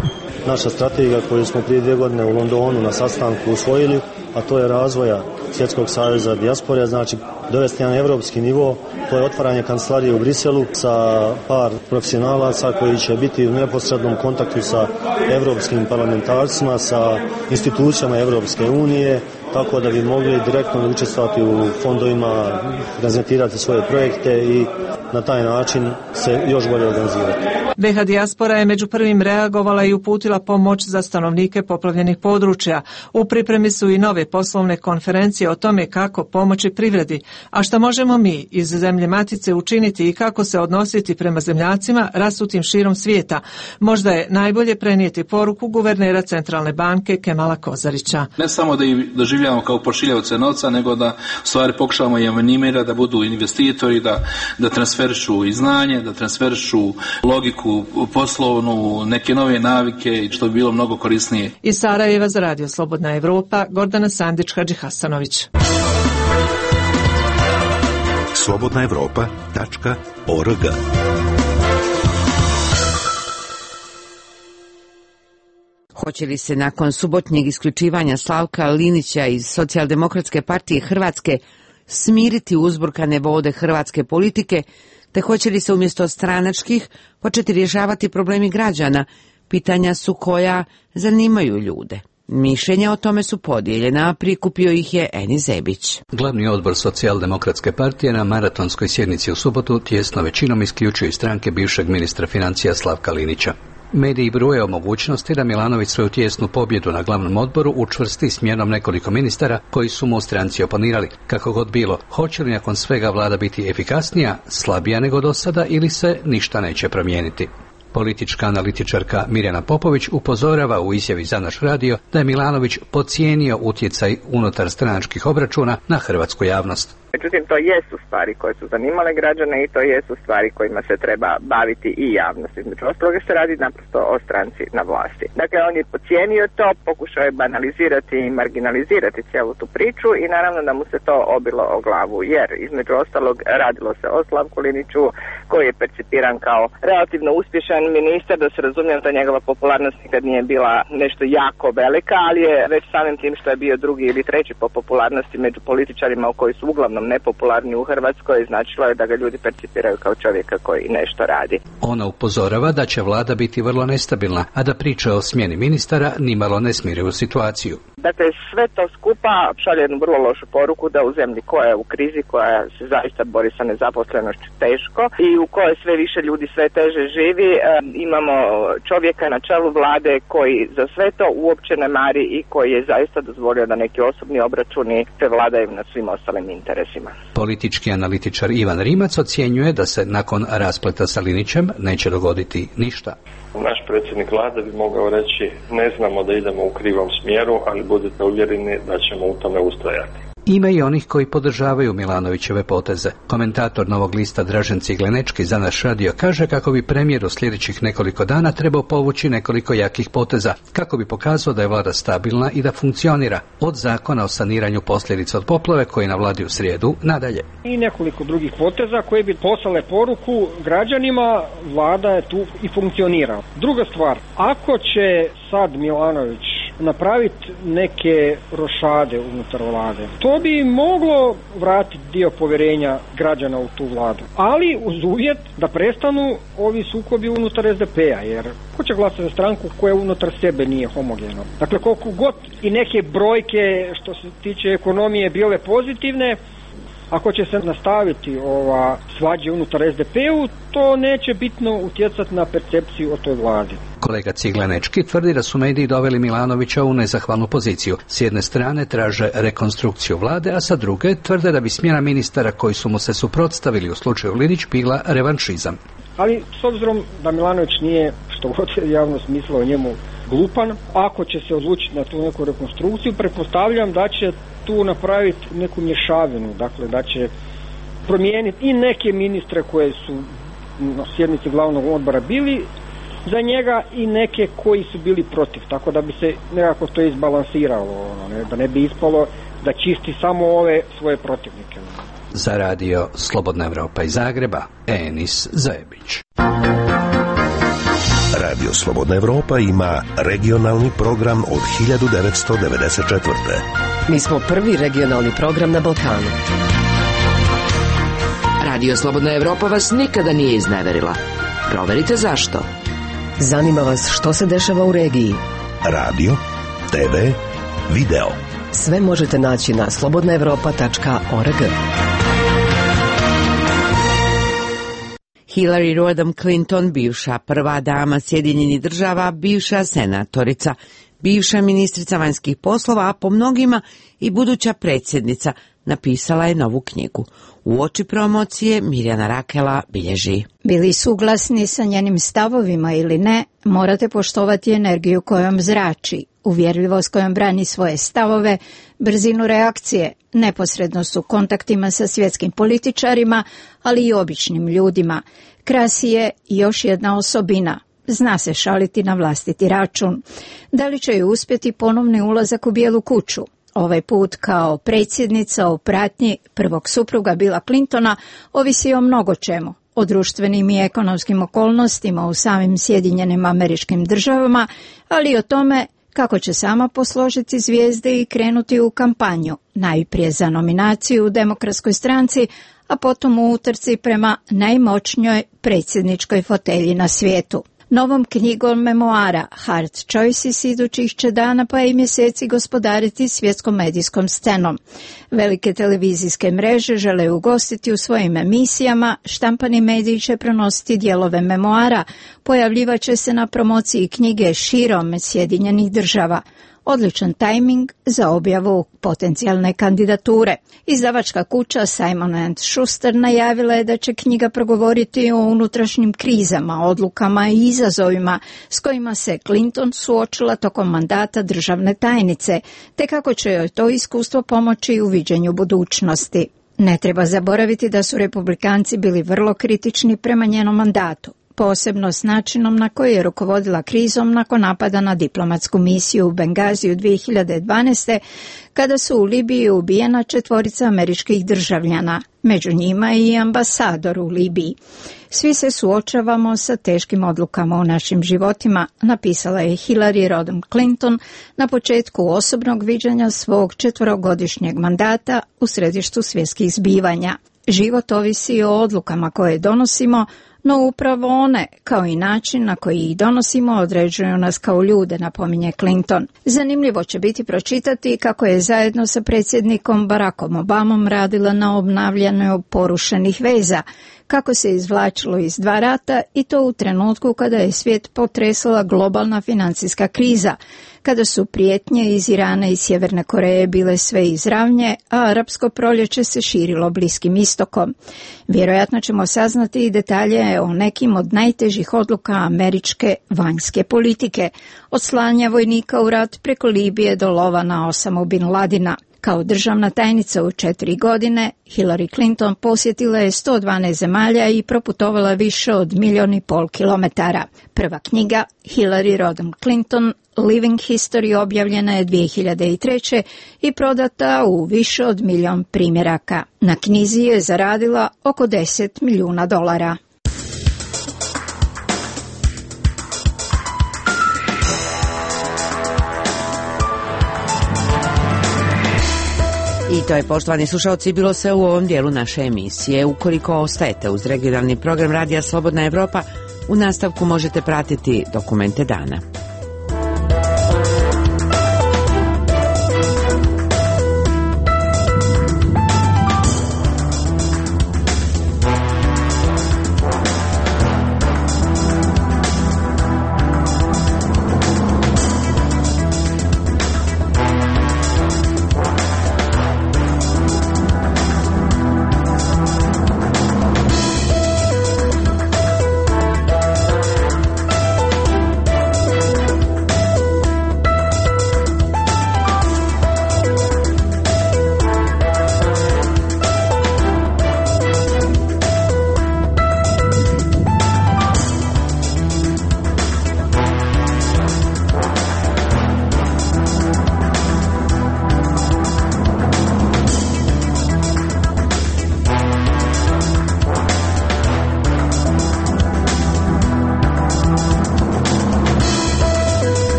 S21: naša strategija koju smo prije dvije godine u Londonu na sastanku usvojili, a to je razvoja Svjetskog saveza dijaspore, znači dovesti na evropski nivo, to je otvaranje kancelarije u Briselu sa par profesionalaca koji će biti u neposrednom kontaktu sa evropskim parlamentarcima, sa institucijama Evropske unije, tako da bi mogli direktno učestvovati u fondovima, prezentirati svoje projekte i na taj način se još bolje organizirati.
S16: B H dijaspora je među prvim reagovala i uputila pomoć za stanovnike poplavljenih područja. U pripremi su i nove poslovne konferencije o tome kako pomoći privredi, a šta možemo mi iz zemlje matice učiniti i kako se odnositi prema zemljacima rasutim širom svijeta. Možda je najbolje prenijeti poruku guvernera Centralne banke Kemala Kozarića.
S18: Ne samo da ih doživljavamo kao pošiljavce novca, nego da u stvari pokušavamo i animirati da budu investitori, da, da transferišu i znanje, da transferišu logiku poslovnu, neke nove navike, što bi bilo mnogo korisnije.
S16: Iz Sarajeva za Radio Slobodna Evropa, Gordana Sandić, Hadži Hasanović.
S2: slobodna evropa tačka org.
S1: Hoće li se nakon subotnjeg isključivanja Slavka Linića iz Socijaldemokratske partije Hrvatske smiriti uzburkane vode hrvatske politike, te hoće li se umjesto stranačkih početi rješavati problemi građana, pitanja su koja zanimaju ljude. Mišljenja o tome su podijeljena, a prikupio ih je Eni Zebić.
S22: Glavni odbor Socijaldemokratske partije na maratonskoj sjednici u subotu tjesno većinom isključuje stranke bivšeg ministra financija Slavka Linića. Mediji bruje o mogućnosti da Milanović svoju tijesnu pobjedu na glavnom odboru učvrsti smjenom nekoliko ministara koji su mu u stranci oponirali. Kako god bilo, hoće li nakon svega vlada biti efikasnija, slabija nego do sada ili se ništa neće promijeniti? Politička analitičarka Mirjana Popović upozorava u izjavi za naš radio da je Milanović podcijenio utjecaj unutar stranačkih obračuna na hrvatsku javnost.
S23: Međutim, to jesu stvari koje su zanimale građane i to jesu stvari kojima se treba baviti i javnost. Između ostaloga se radi naprosto o stranci na vlasti. Dakle, on je podcijenio to, pokušao je banalizirati i marginalizirati cijelu tu priču i naravno da mu se to obilo o glavu, jer između ostalog radilo se o Slavku Liniću koji je percipiran kao relativno uspješan ministar, da se razumijem da njegova popularnost nikad nije bila nešto jako velika, ali je već samim tim što je bio drugi ili treći po popularnosti među političarima u koji su uglavnom nepopularni u Hrvatskoj, značilo je da ga ljudi percipiraju kao čovjeka koji nešto radi.
S22: Ona upozorava da će vlada biti vrlo nestabilna, a da priča o smjeni ministara nimalo ne smiruju situaciju.
S23: Dakle, sve to skupa šalje jednu vrlo lošu poruku da u zemlji koja je u krizi, koja se zaista bori sa nezaposlenošću teško i u kojoj sve više ljudi sve teže živi, e, imamo čovjeka na čelu vlade koji za sve to uopće ne mari i koji je zaista dozvolio da neki osobni obračuni se vladaju nad svim ostalim interesima.
S22: Politički analitičar Ivan Rimac ocjenjuje da se nakon raspleta sa Linićem neće dogoditi ništa.
S24: Naš predsjednik vlade bi mogao reći ne znamo da idemo u krivom smjeru, ali budite uvjereni da ćemo u tome ustrajati.
S22: Ima i onih koji podržavaju Milanovićeve poteze. Komentator Novog lista Dražen Ciglenečki za naš radio kaže kako bi premijer u sljedećih nekoliko dana trebao povući nekoliko jakih poteza, kako bi pokazao da je vlada stabilna i da funkcionira, od zakona o saniranju posljedica od poplave koji na vladi u srijedu nadalje.
S25: I nekoliko drugih poteza koje bi poslale poruku građanima, vlada je tu i funkcionira. Druga stvar, ako će sad Milanović napraviti neke rošade unutar vlade, to bi moglo vratiti dio povjerenja građana u tu vladu. Ali uz uvjet da prestanu ovi sukobi unutar S D P-a, jer ko će glasati za stranku koja unutar sebe nije homogena. Dakle, koliko god i neke brojke što se tiče ekonomije bile pozitivne, ako će se nastaviti ova svađa unutar S D P-u, to neće bitno utjecati na percepciju o toj vladi.
S22: Kolega Ciglenečki tvrdi da su mediji doveli Milanovića u nezahvalnu poziciju. S jedne strane traže rekonstrukciju vlade, a sa druge tvrde da bi smjena ministara koji su mu se suprotstavili u slučaju Linić bila revanšizam.
S25: Ali s obzirom da Milanović nije, što god je javnost mislila o njemu, glupan, ako će se odlučiti na tu neku rekonstrukciju, pretpostavljam da će tu napraviti neku mješavinu, dakle da će promijeniti i neke ministre koje su na sjednici glavnog odbora bili za njega i neke koji su bili protiv, tako da bi se nekako to izbalansiralo, ono, ne, da ne bi ispalo da čisti samo ove svoje protivnike.
S22: Za radio Slobodna Evropa iz Zagreba, Enis Zajebić.
S2: Radio Slobodna Evropa ima regionalni program od hiljadu devetsto devedeset četvrte.
S3: Mi smo prvi regionalni program na Balkanu.
S15: Radio Slobodna Evropa vas nikada nije izneverila. Proverite zašto.
S3: Zanima vas što se dešava u regiji.
S2: Radio, te ve, video.
S3: Sve možete naći na slobodna evropa tačka org.
S1: Hillary Rodham Clinton, bivša prva dama Sjedinjenih država, bivša senatorica, bivša ministrica vanjskih poslova, a po mnogima i buduća predsjednica, napisala je novu knjigu. Uoči promocije Mirjana Rakela bilježi.
S4: Bili suglasni sa njenim stavovima ili ne, morate poštovati energiju kojom zrači, uvjerljivost kojom brani svoje stavove, brzinu reakcije, neposrednost u kontaktima sa svjetskim političarima, ali i običnim ljudima. Krasi je još jedna osobina. Zna se šaliti na vlastiti račun. Da li će ju uspjeti ponovni ulazak u Bijelu kuću? Ovaj put kao predsjednica u pratnji prvog supruga Billa Clintona ovisi o mnogo čemu. O društvenim i ekonomskim okolnostima u samim Sjedinjenim Američkim Državama, ali i o tome kako će sama posložiti zvijezde i krenuti u kampanju, najprije za nominaciju u Demokratskoj stranci, a potom u utrci prema najmoćnijoj predsjedničkoj fotelji na svijetu. Novom knjigom memoara Hard Choices idućih će dana pa i mjeseci gospodariti svjetskom medijskom scenom. Velike televizijske mreže žele ugostiti u svojim emisijama, štampani mediji će prenositi dijelove memoara, pojavljivat će se na promociji knjige širom Sjedinjenih država. Odličan tajming za objavu potencijalne kandidature. Izdavačka kuća Simon and Schuster najavila je da će knjiga progovoriti o unutrašnjim krizama, odlukama i izazovima s kojima se Clinton suočila tokom mandata državne tajnice, te kako će joj to iskustvo pomoći u viđenju budućnosti. Ne treba zaboraviti da su republikanci bili vrlo kritični prema njenom mandatu, posebno s načinom na koji je rukovodila krizom nakon napada na diplomatsku misiju u Bengaziju dvije hiljade dvanaeste. kada su u Libiji ubijena četvorica američkih državljana, među njima i ambasador u Libiji. Svi se suočavamo sa teškim odlukama u našim životima, napisala je Hillary Rodham Clinton na početku osobnog viđanja svog četverogodišnjeg mandata u središtu svjetskih zbivanja. Život ovisi o odlukama koje donosimo, no upravo one, kao i način na koji ih donosimo, određuju nas kao ljude, napominje Clinton. Zanimljivo će biti pročitati kako je zajedno sa predsjednikom Barackom Obamom radila na obnavljanju porušenih veza, kako se izvlačilo iz dva rata i to u trenutku kada je svijet potresala globalna financijska kriza, kada su prijetnje iz Irana i Sjeverne Koreje bile sve izravnje, a arapsko proljeće se širilo Bliskim istokom. Vjerojatno ćemo saznati i detalje o nekim od najtežih odluka američke vanjske politike, od slanja vojnika u rat preko Libije do lova na Osamu bin Ladina. Kao državna tajnica u četiri godine, Hillary Clinton posjetila je sto dvanaest zemalja i proputovala više od milijun i pol kilometara. Prva knjiga, Hillary Rodham Clinton, Living History, objavljena je dvije hiljade treće. i prodata u više od milijun primjeraka. Na knjizi je zaradila oko deset milijuna dolara.
S1: I to je, poštovani slušalci, bilo sve u ovom dijelu naše emisije. Ukoliko ostajete uz regionalni program Radija Slobodna Evropa, u nastavku možete pratiti dokumente dana.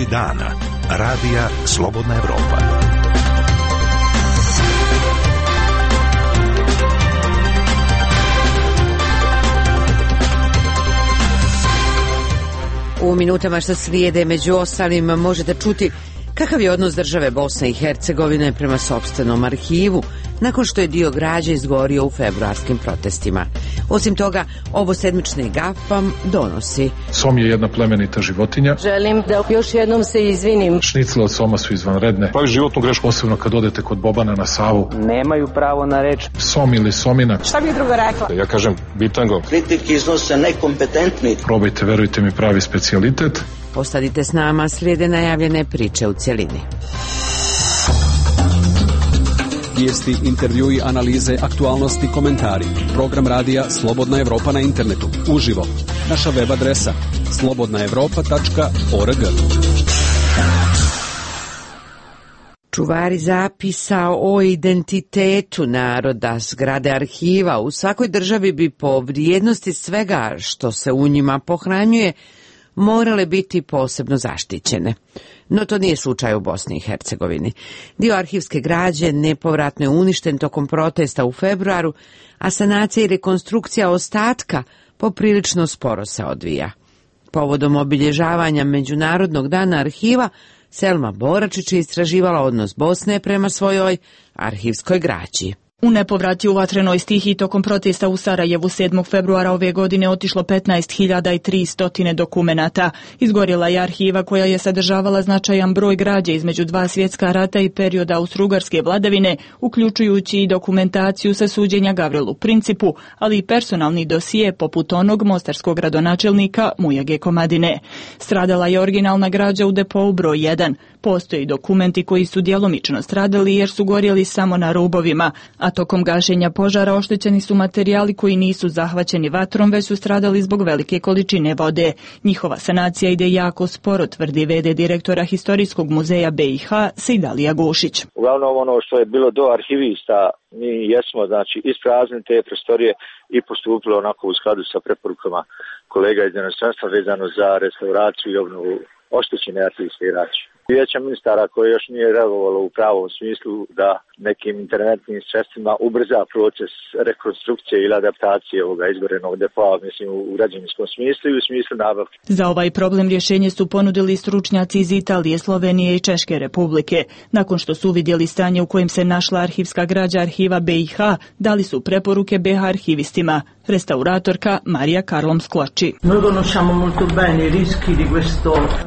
S2: Vijesti dana. Radija Slobodna Evropa.
S1: U minutama što slijede među ostalim možete čuti kakav je odnos države Bosne i Hercegovine prema sopstvenom arhivu nakon što je dio građe izgorio u februarskim protestima. Osim toga, ovo sedmični gaf vam donosi.
S7: Som je jedna plemenita životinja.
S5: Želim da još jednom se izvinim.
S7: Šnicle od soma su izvanredne. Pravi životnu grešku, posebno kad odete kod Bobana na Savu.
S5: Nemaju pravo na reč.
S7: Som ili somina.
S5: Šta bi drugo rekla?
S7: Ja kažem bitango.
S6: Kritiki iznose nekompetentni.
S7: Probajte, verujte mi, pravi specijalitet.
S1: Ostanite s nama, slijede najavljene priče u cjelini.
S8: Vijesti, intervjui, analize, aktualnosti, komentari. Program radija Slobodna Evropa na internetu. Uživo. Naša web adresa slobodna evropa tačka org.
S1: Čuvari zapisa o identitetu naroda, zgrade arhiva u svakoj državi bi po vrijednosti svega što se u njima pohranjuje morale biti posebno zaštićene. No to nije slučaj u Bosni i Hercegovini. Dio arhivske građe nepovratno je uništen tokom protesta u februaru, a sanacija i rekonstrukcija ostatka poprilično sporo se odvija. Povodom obilježavanja Međunarodnog dana arhiva, Selma Boračić je istraživala odnos Bosne prema svojoj arhivskoj građi.
S9: U nepovrat je u vatrenoj stihiji tokom protesta u Sarajevu sedmog februara ove godine otišlo petnaest hiljada tristo dokumenata. Izgorjela je arhiva koja je sadržavala značajan broj građe između dva svjetska rata i perioda austrougarske vladavine, uključujući i dokumentaciju sa suđenja Gavrilu Principu, ali i personalni dosije poput onog mostarskog gradonačelnika Mujage Komadine. Stradala je originalna građa u depou broj jedan. Postoji dokumenti koji su djelomično stradali jer su gorjeli samo na rubovima, a tokom gašenja požara oštećeni su materijali koji nisu zahvaćeni vatrom, već su stradali zbog velike količine vode. Njihova sanacija ide jako sporo, tvrdi ve de direktora Historijskog muzeja be i ha Sejdalija Gušić.
S11: Uglavnom ono što je bilo do arhivista, mi jesmo znači ispraznili te prostorije i postupili onako u skladu sa preporukama kolega iz inostranstva vezano za restauraciju i obnovu oštećene arhivske građe. Vijeća ministara koje još nije reagovalo u pravom smislu da nekim interventnim sredstvima ubrza proces rekonstrukcije ili adaptacije ovoga izgorenog depoa, mislim u građevinskom smislu i u smislu nabavke.
S9: Za ovaj problem rješenje su ponudili stručnjaci iz Italije, Slovenije i Češke republike. Nakon što su uvidjeli stanje u kojem se našla arhivska građa arhiva be i ha, dali su preporuke be ha arhivistima. Restauratorka Marija Karlom Skloči.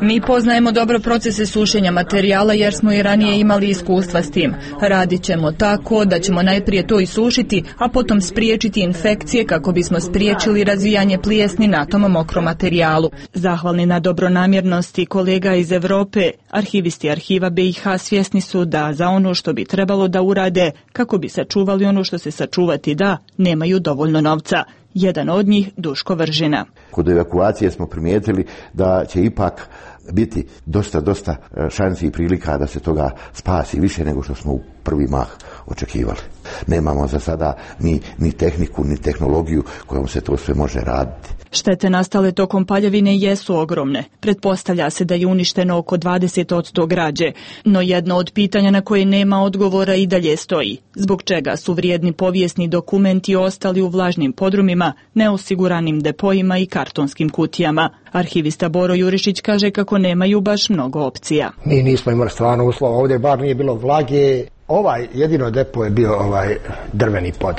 S9: Mi poznajemo dobro procese sušenja materijala jer smo i ranije imali iskustva s tim. Radit ćemo tako da ćemo najprije to isušiti, a potom spriječiti infekcije kako bismo spriječili razvijanje plijesni na tom mokrom materijalu. Zahvalni na dobronamjernosti kolega iz Europe, arhivisti arhiva be i ha svjesni su da za ono što bi trebalo da urade, kako bi sačuvali ono što se sačuvati da, nemaju dovoljno novca. Jedan od njih Duško Vržina.
S26: Kod evakuacije smo primijetili da će ipak biti dosta, dosta šansi i prilika da se toga spasi više nego što smo u prvi mah očekivali. Nemamo za sada ni, ni tehniku, ni tehnologiju kojom se to sve može raditi.
S9: Štete nastale tokom paljevine jesu ogromne. Pretpostavlja se da je uništeno oko dvadeset posto građe, no jedno od pitanja na koje nema odgovora i dalje stoji. Zbog čega su vrijedni povijesni dokumenti ostali u vlažnim podrumima, neosiguranim depojima i kartonskim kutijama? Arhivista Boro Jurišić kaže kako nemaju baš mnogo opcija.
S27: Mi nismo imali stvarno uslova, ovdje bar nije bilo vlage. Ovaj jedino depo je bio ovaj drveni pod.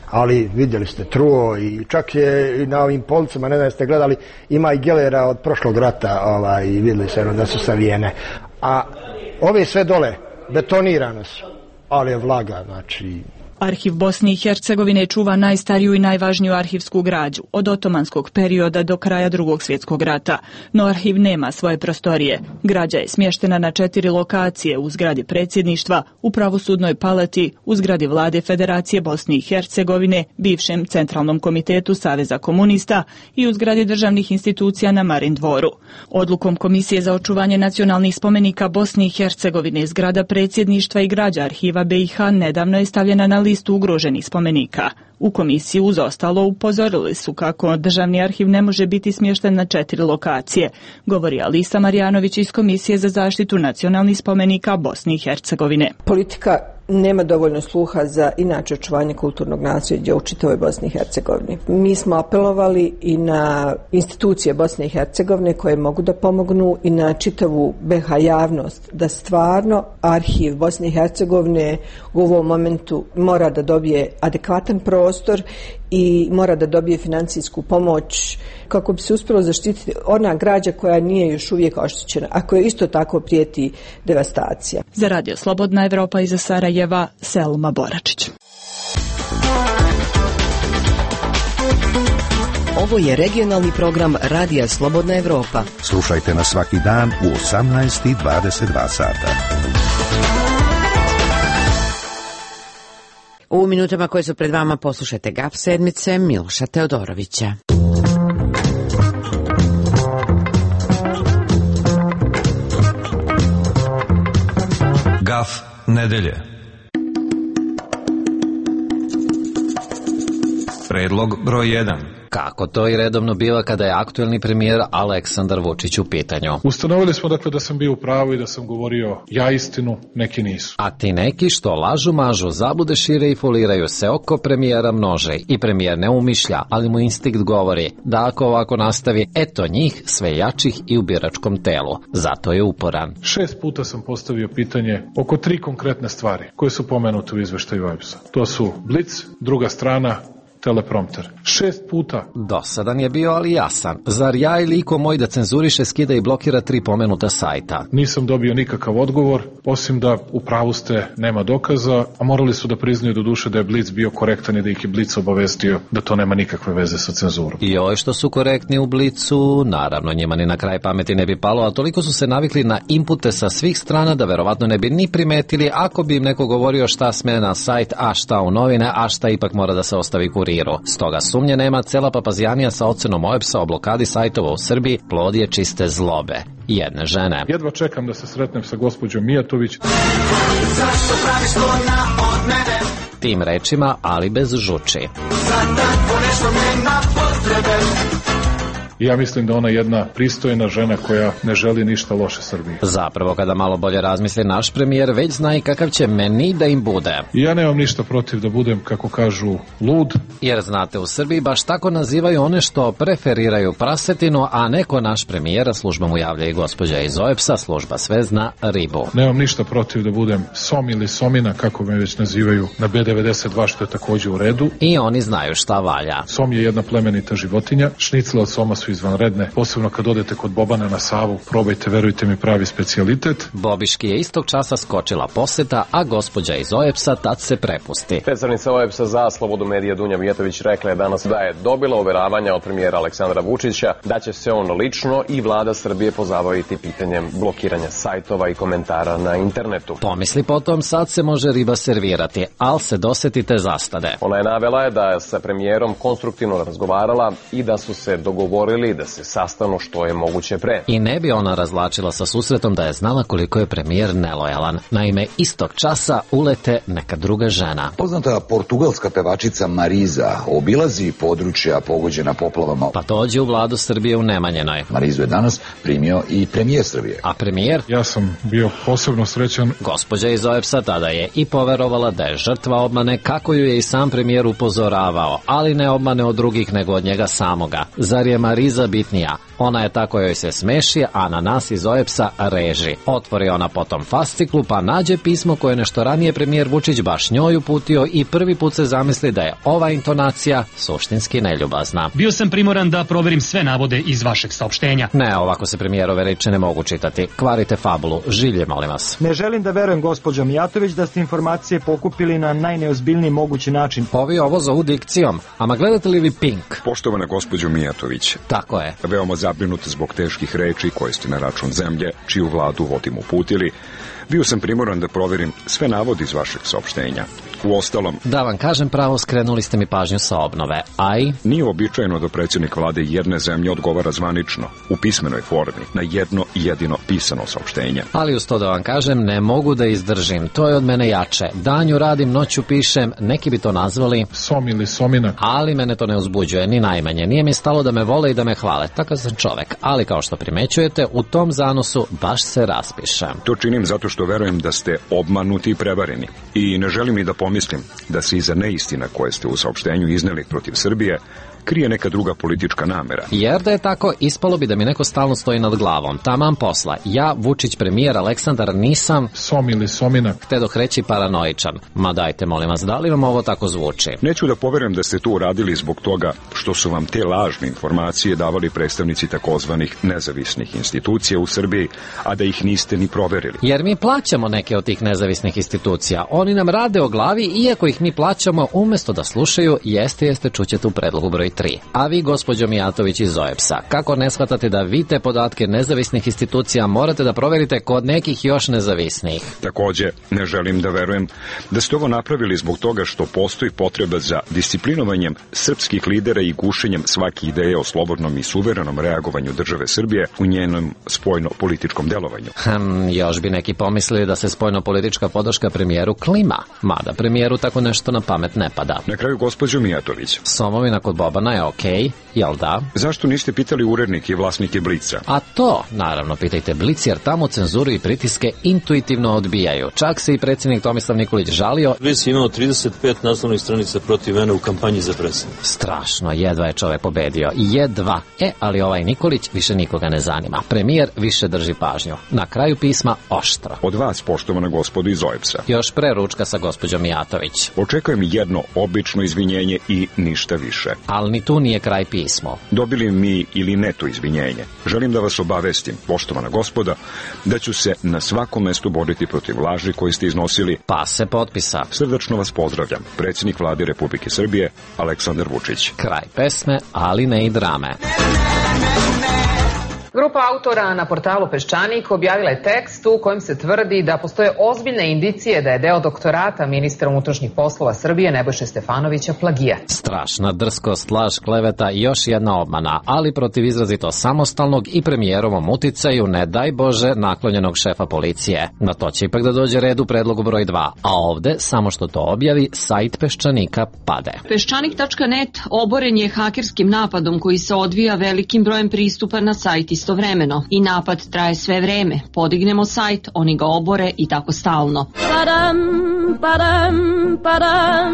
S27: Ali vidjeli ste truo i čak je i na ovim policama, ne znam ste gledali, ima i gelera od prošlog rata ovaj, i vidjeli se da su savijene. A ove sve dole betonirane su, ali je vlaga, znači...
S9: Arhiv Bosne i Hercegovine čuva najstariju i najvažniju arhivsku građu, od otomanskog perioda do kraja Drugog svjetskog rata. No arhiv nema svoje prostorije. Građa je smještena na četiri lokacije: u zgradi predsjedništva, u pravosudnoj palati, u zgradi vlade Federacije Bosne i Hercegovine, bivšem Centralnom komitetu Saveza komunista i u zgradi državnih institucija na Marin dvoru. Odlukom Komisije za očuvanje nacionalnih spomenika Bosne i Hercegovine, zgrada predsjedništva i građa arhiva be i ha nedavno je stavljena na listu listu ugroženih spomenika. U komisiji uz ostalo upozorili su kako državni arhiv ne može biti smješten na četiri lokacije, govori Alisa Marjanović iz Komisije za zaštitu nacionalnih spomenika Bosne i Hercegovine.
S10: Politika nema dovoljno sluha za inače očuvanje kulturnog nasljeđa u čitavoj Bosni i Hercegovini. Mi smo apelovali i na institucije Bosne i Hercegovine koje mogu da pomognu i na čitavu B iH javnost da stvarno arhiv Bosne i Hercegovine u ovom momentu mora da dobije adekvatan prostor i mora da dobije financijsku pomoć kako bi se uspjelo zaštititi ona građa koja nije još uvijek oštećena, a koja isto tako prijeti devastacija.
S9: Za Radio Slobodna Evropa iz Sarajeva, Selma Boračić.
S3: Ovo je regionalni program Radija Slobodna Evropa.
S2: Slušajte nas svaki dan u osamnaest i dvadeset dva sata.
S1: U minutama koje su pred vama poslušajte G A F sedmice Miloša Teodorovića.
S12: G A F nedelje. Predlog broj jedan.
S13: Kako to i redovno biva kada je aktuelni premijer Aleksandar Vučić u pitanju.
S7: Ustanovili smo dakle da sam bio u pravu i da sam govorio ja istinu, neki nisu.
S13: A ti neki što lažu, mažu, zablude šire i foliraju se oko premijera množe i premijer ne umišlja, ali mu instinkt govori da ako ovako nastavi, eto njih sve jačih i u biračkom telu. Zato je uporan.
S7: Šest puta sam postavio pitanje oko tri konkretne stvari koje su pomenute u izveštaju O E B S-a. To su Blic, druga strana, teleprompter. Šest puta.
S13: Dosadan je bio, ali jasan. Zar ja ili iko moj da cenzuriše, skida i blokira tri pomenuta sajta?
S7: Nisam dobio nikakav odgovor, osim da u pravu ste, nema dokaza, a morali su da priznaju do duše da je Blic bio korektan i da ih je Blic obavestio da to nema nikakve veze sa cenzurom.
S13: I oj što su korektni u Blicu, naravno njima ni na kraj pameti ne bi palo, a toliko su se navikli na inpute sa svih strana da verovatno ne bi ni primetili ako bi im neko govorio šta sme na sajt, a šta u novine, a šta ipak mora da se ostavi kurir. Stoga sumnje nema, cela papazjanija sa ocenom O E B S-a o blokadi sajtova u Srbiji plod je čiste zlobe jedne žene.
S7: Jedva čekam da se sretnem sa gospođom Mijatović.
S13: Zašto praviš to na od mene? Tim rečima, ali bez žuči. Za tako nešto nema potrebe.
S7: Ja mislim da ona je jedna pristojna žena koja ne želi ništa loše Srbiji.
S13: Zapravo, kada malo bolje razmisli naš premijer, već zna i kakav će meni da im bude.
S7: Ja nemam ništa protiv da budem, kako kažu, lud.
S13: Jer znate, u Srbiji baš tako nazivaju one što preferiraju prasetinu, a neko naš premijera, služba mu javlja i gospođa iz O E B S-a, služba sve zna, ribu.
S7: Nemam ništa protiv da budem som ili somina, kako me već nazivaju na B devedeset dva, što je također u redu.
S13: I oni znaju šta valja.
S7: Som je jedna plemenita životinja, šnicle od soma su izvanredne, posebno kad odete kod Bobana na Savu, probajte, verujte mi, pravi specijalitet.
S13: Bobiški je istog časa skočila poseta, a gospođa iz O E B S-a tad se prepusti.
S14: Predstavnica O E B S-a za slobodu medija Dunja Mijatović rekla je danas da je dobila uveravanja od premijera Aleksandra Vučića da će se on lično i vlada Srbije pozabaviti pitanjem blokiranja sajtova i komentara na internetu.
S13: Pomisli potom, sad se može riba servirati, al se dosetite zastade.
S14: Ona je navela je da je sa premijerom konstruktivno razgovarala i da su se dogovorili da se sastanu što je moguće pre.
S13: I ne bi ona razlačila sa susretom da je znala koliko je premijer nelojalan. Naime, istog časa ulete neka druga žena.
S17: Poznata portugalska pevačica Mariza obilazi područja pogođena poplavama.
S13: Pa dođe u vladu Srbije u Nemanjenoj.
S17: Marizu je danas primio i premijer Srbije.
S13: A premijer?
S7: Ja sam bio posebno srećan.
S13: Gospođa iz O E B S-a tada je i poverovala da je žrtva obmane, kako ju je i sam premijer upozoravao, ali ne obmane od drugih nego od njega samoga. Zar je Mariza bitnija? Ona je ta kojoj se smeši, a na nas iz O E B S-a reži. Otvori ona potom fasciklu, pa nađe pismo koje nešto ranije premijer Vučić baš njoj uputio i prvi put se zamisli da je ova intonacija suštinski neljubazna.
S19: Bio sam primoran da proverim sve navode iz vašeg saopštenja.
S13: Ne, ovako se premijerove reči ne mogu čitati. Kvarite fabulu. Žilje, molim vas.
S20: Ne želim da verujem, gospođo Mijatović, da ste informacije pokupili na najneozbiljniji mogući način.
S13: Ovi ovo zovu dikcijom. Ama gledate li vi Pink?
S28: Poštovana gospođo Mijatović.
S13: Tako je.
S28: Veoma zabrinut zbog teških reči koje ste na račun zemlje, čiju vladu vodimo uputili. Bio sam primoran da proverim sve navode iz vašeg saopštenja. Uostalom,
S13: da vam kažem pravo, skrenuli ste mi pažnju sa obnove, a i...
S28: Nije običajno da predsjednik vlade jedne zemlje odgovara zvanično, u pismenoj formi, na jedno jedino pisano saopštenje.
S13: Ali uz to da vam kažem, ne mogu da izdržim, to je od mene jače. Danju radim, noću pišem, neki bi to nazvali...
S7: Som ili somina.
S13: Ali mene to ne uzbuđuje, ni najmanje. Nije mi stalo da me vole i da me hvale, takav sam čovek. Ali kao što primećujete, u tom zanosu baš se raspišem.
S28: To činim zato što verujem da ste obmanuti i prevareni. I ne želim ni da pomislim da se iza neistina koje ste u saopštenju izneli protiv Srbije krije neka druga politička namera.
S13: Jer da je tako, ispalo bi da mi neko stalno stoji nad glavom. Taman posla. Ja, Vučić, premijer, Aleksandar, nisam...
S7: Som ili somina.
S13: Htedoh reći paranoičan. Ma dajte, molim vas, da li vam ovo tako zvuči?
S28: Neću da poverujem da ste to uradili zbog toga što su vam te lažne informacije davali predstavnici takozvanih nezavisnih institucija u Srbiji, a da ih niste ni proverili.
S13: Jer mi plaćamo neke od tih nezavisnih institucija. Oni nam rade o glavi, iako ih mi plaćamo, umesto da slušaju, jeste, jeste, čućete u predlogu broj tri. A vi, gospođo Mijatović iz O E B S-a, kako ne shvatate da vi te podatke nezavisnih institucija morate da proverite kod nekih još nezavisnih?
S28: Takođe, ne želim da verujem da ste ovo napravili zbog toga što postoji potreba za disciplinovanjem srpskih lidera i gušenjem svake ideje o slobodnom i suverenom reagovanju države Srbije u njenom spoljno-političkom delovanju.
S13: Hm, još bi neki pomislili da se spoljno-politička podrška premijeru klima, mada premijeru tako nešto na pamet ne pada.
S28: Na kraju, gospođo Mijatović.
S13: Somovina kod Bobana je okej, jel da?
S28: Zašto niste pitali urednike i vlasnike Blica?
S13: A to, naravno, pitajte Blic, jer tamo cenzuru i pritiske intuitivno odbijaju. Čak se i predsjednik Tomislav Nikolić žalio.
S15: Blic je imao trideset pet naslovnih stranica protiv mene u kampanji za predsjednika.
S13: Strašno, jedva je čovek pobedio. Jedva. E, ali ovaj Nikolić više nikoga ne zanima. Premijer više drži pažnju. Na kraju pisma oštro.
S28: Od vas, poštovana gospodo iz O E B S-a.
S13: Još pre ručka sa gospođom Mijatović.
S28: Očekujem jedno obično izvinjenje i ništa više.
S13: Ali ni tu nije kraj pismo.
S28: Dobili mi ili ne to izvinjenje. Želim da vas obavestim, poštovana gospoda, da ću se na svakom mestu boriti protiv laži koje ste iznosili.
S13: Pa se potpisa.
S28: Srdačno vas pozdravljam. Predsjednik vlade Republike Srbije, Aleksandar Vučić.
S13: Kraj pesme, ali ne i drame.
S16: Grupa autora na portalu Peščanik objavila je tekst u kojem se tvrdi da postoje ozbiljne indicije da je deo doktorata ministra unutrašnjih poslova Srbije Nebojše Stefanovića plagijat.
S13: Strašna drskost, laž, kleveta i još jedna obmana, ali protiv izrazito samostalnog i premijerovom uticaju, ne daj Bože, naklonjenog šefa policije. Na to će ipak da dođe red u predlogu broj dva, a ovde, samo što to objavi, sajt Peščanika pade.
S18: Peščanik tačka net oboren je hakerskim napadom koji se odvija velikim brojem pristupa na sajt istovremeno i napad traje sve vreme. Podignemo sajt, oni ga obore i tako stalno. Padam, padam, padam.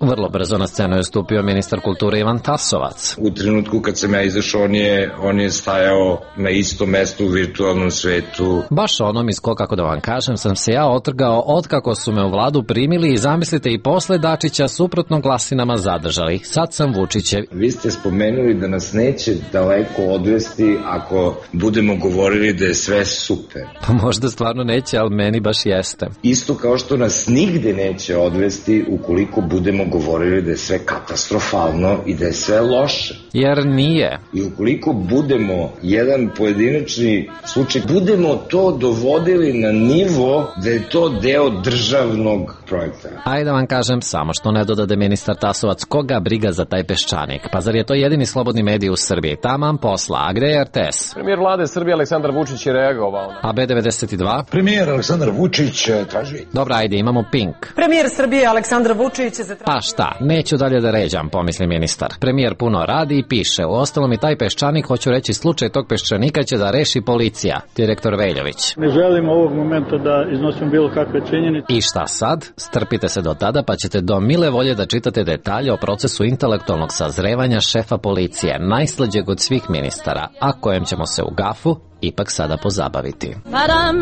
S13: Vrlo brzo na scenu je stupio ministar kulture Ivan Tasovac.
S21: U trenutku kad sam ja izašao, on je, on je stajao na istom mestu u virtualnom svetu.
S13: Baš onom iz ko, kako da vam kažem, sam se ja otrgao otkako su me u vladu primili i zamislite i posle Dačića suprotno glasinama zadržali. Sad sam Vučićev.
S21: Vi ste spomenuli da nas neće daleko odvesti ako budemo govorili da je sve super.
S13: Pa možda stvarno neće, ali meni baš jeste.
S21: Isto kao što nas nigde neće odvesti ukoliko budemo govorili da je sve katastrofalno i da je sve loše.
S13: Jer nije.
S21: I ukoliko budemo jedan pojedinačni slučaj, budemo to dovodili na nivo da je to deo državnog projekta.
S13: Ajde da vam kažem, samo što ne dodade ministar Tasovac, koga briga za taj Peščanik? Pa zar je to jedini slobodni medij u Srbiji? Taman posla, a gde je R T S?
S14: Premijer vlade Srbije Aleksandar Vučić je reagovao.
S13: A B devedeset dva?
S22: Premijer Aleksandar Vučić traži.
S13: Dobra, ajde, imamo Pink.
S23: Premijer Srbije Aleksandar Vučić je zatražio.
S13: Pa šta, neću dalje da ređam, pomisli ministar. Premijer puno radi i piše. U ostalom i taj Peščanik, hoću reći, slučaj tog Peščanika će da reši policija. Direktor Veljović.
S24: Ne želim ovog momenta da iznosim bilo kakve činjenice.
S13: I šta sad? Strpite se do tada pa ćete do mile volje da čitate detalje o procesu intelektualnog sazrevanja šefa policije, najslađeg od svih ministara, a kojem ćemo se u gafu ipak sada pozabaviti.
S18: Padam,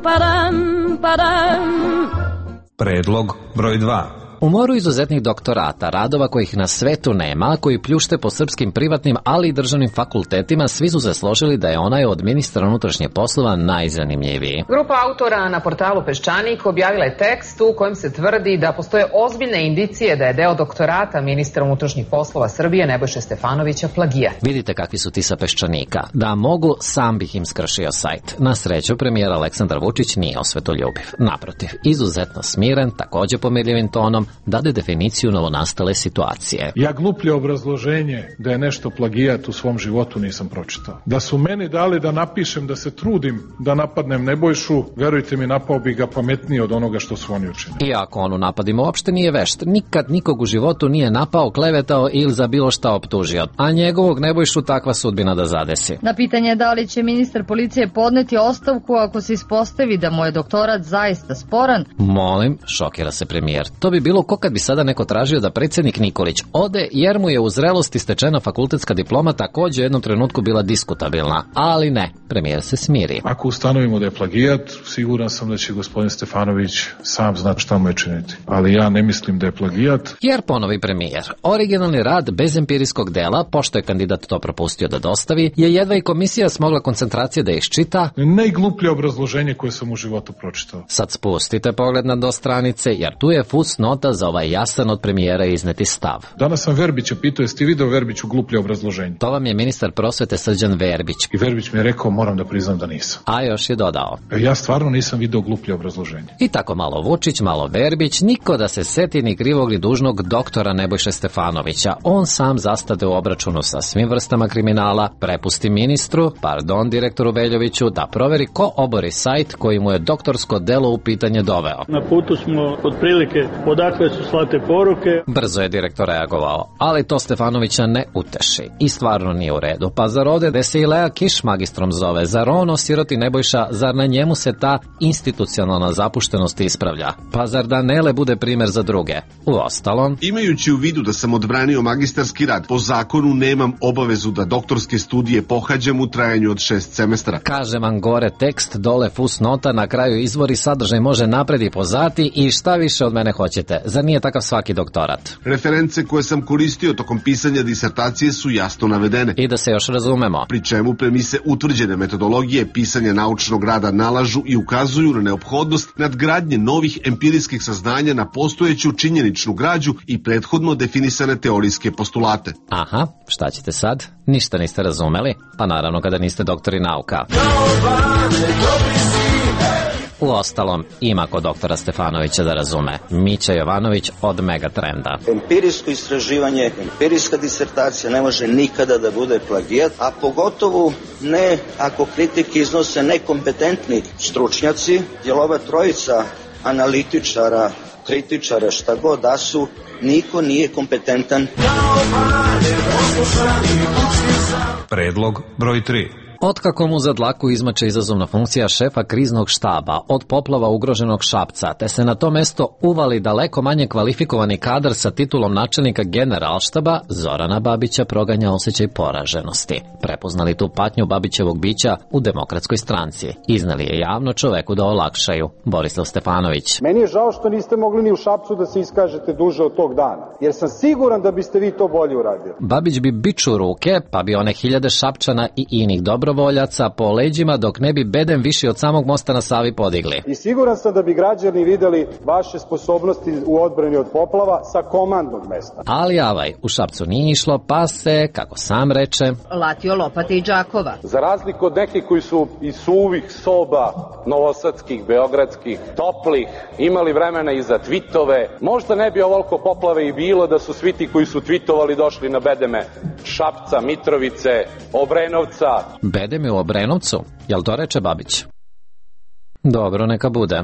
S18: padam, padam.
S12: Predlog broj dva.
S13: U moru izuzetnih doktorata, radova kojih na svetu nema, koji pljušte po srpskim privatnim, ali i državnim fakultetima, svi su se složili da je onaj od ministra unutrašnjih poslova najzanimljiviji.
S16: Grupa autora na portalu Peščanik objavila je tekst u kojem se tvrdi da postoje ozbiljne indicije da je deo doktorata ministra unutrašnjih poslova Srbije Nebojše Stefanovića plagijat.
S13: Vidite kakvi su ti sa Peščanika. Da mogu, sam bih im skršio sajt. Na sreću, premijer Aleksandar Vučić nije osvetoljubiv. Naprotiv, izuzetno smiren, takođe pomirljivim tonom, dade definiciju novonastale situacije.
S7: Ja gluplje obrazloženje da je nešto plagijat u svom životu nisam pročitao. Da su meni dali da napišem da se trudim da napadnem Nebojšu, verujte mi, napao bi ga pametnije od onoga što su oni učinili.
S13: Iako on u napadima uopšte nije vešt, nikad nikog u životu nije napao, klevetao ili za bilo šta optužio, a njegovog Nebojšu takva sudbina da zadesi.
S4: Na pitanje da li će ministar policije podneti ostavku ako se ispostavi da mu je doktorat zaista sporan.
S13: Molim, šokira se premijer. To bi bilo ko kad bi sada neko tražio da predsjednik Nikolić ode jer mu je u zrelosti stečena fakultetska diploma takođe u jednom trenutku bila diskutabilna. Ali ne, premijer se smiri.
S7: Ako ustanovimo da je plagijat, siguran sam da će gospodin Stefanović sam znati šta mu je činiti. Ali ja ne mislim da je plagijat.
S13: Jer, ponovi premijer, originalni rad bez empirijskog dela, pošto je kandidat to propustio da dostavi, je jedva i komisija smogla koncentracije da iščita.
S7: Najgluplje obrazloženje koje sam u životu pročitao.
S13: Sad spustite pogled na do stranice, jer tu je fusnota za ovaj jasan od premijera izneti stav.
S7: Danas sam Verbića pitao, jesi ti video Verbiću gluplje obrazloženje?
S13: To vam je ministar prosvete Srđan Verbić.
S7: I Verbić mi je rekao, moram da priznam da nisam.
S13: A još je dodao.
S7: Ja stvarno nisam video gluplje obrazloženje.
S13: I tako malo Vučić, malo Verbić, niko da se seti ni krivog ni dužnog doktora Nebojše Stefanovića. On sam zastade u obračunu sa svim vrstama kriminala, prepusti ministru, pardon direktoru Veljoviću, da proveri ko obori sajt koji mu je doktorsko delo u pitanje doveo.
S24: Na putu smo otprilike odakle su slate poruke.
S13: Brzo je direktor reagovao, ali to Stefanovića ne uteši. I stvarno nije u redu. Pa zar ovde da se i Lea Kiš magistrom zove? Zar on osiroti Nebojša? Zar na njemu se ta institucionalna zapuštenost ispravlja? Pa zar da Nele bude primer za druge? Uostalom,
S5: imajući u vidu da sam odbranio magistarski rad, po zakonu nemam obavezu da doktorske studije pohađam u trajanju od šest semestara.
S13: Kaže vam gore tekst, dole fusnota, na kraju izvori, sadržaj može napred i pozati i šta više od mene hoćete. Zar nije takav svaki doktorat?
S5: Reference koje sam koristio tokom pisanja disertacije su jasno navedene.
S13: I da se još razumemo.
S5: Pri čemu premise utvrđene metodologije pisanja naučnog rada nalažu i ukazuju na neophodnost nadgradnje novih empirijskih saznanja na postojeću činjeničnu građu i prethodno definisane teorijske postulate.
S13: Aha, šta ćete sad? Ništa niste razumeli? Pa naravno kada niste doktori nauka. Uostalom, ima kod doktora Stefanovića da razume. Mića Jovanović od Megatrenda.
S6: Empirijsko istraživanje, empirijska disertacija ne može nikada da bude plagijat, a pogotovo ne ako kritike iznose nekompetentni stručnjaci, jer ova trojica analitičara, kritičara, šta god da su, niko nije kompetentan.
S12: Predlog broj tri.
S13: Otkako mu za dlaku izmače izazovna funkcija šefa kriznog štaba od poplava ugroženog Šapca, te se na to mesto uvali daleko manje kvalifikovani kadar sa titulom načelnika generalštaba, Zorana Babića proganja osjećaj poraženosti. Prepoznali tu patnju Babićevog bića u Demokratskoj stranci. Iznali je javno čoveku da olakšaju. Borislav Stefanović.
S8: Meni je žao što niste mogli ni u Šapcu da se iskažete duže od tog dana, jer sam siguran da biste vi to bolje uradili.
S13: Babić bi biču ruke, pa bi one hiljade Šapčana i inih dobro voljaca po leđima dok ne bi bedem viši od samog mosta na Savi podigli.
S8: I siguran sam da bi građani videli vaše sposobnosti u odbrani od poplava sa komandnog mesta.
S13: Ali avaj, u Šapcu nije išlo, pa se, kako sam reče,
S4: latio lopate i džakova.
S8: Za razliku od nekih koji su iz suvih soba, novosadskih, beogradskih, toplih, imali vremena i za tvitove, možda ne bi ovoliko poplave i bilo da su svi ti koji su tvitovali došli na bedeme Šapca, Mitrovice, Obrenovca.
S13: Bedem je u Obrenovcu, jel to reče Babić? Dobro, neka bude.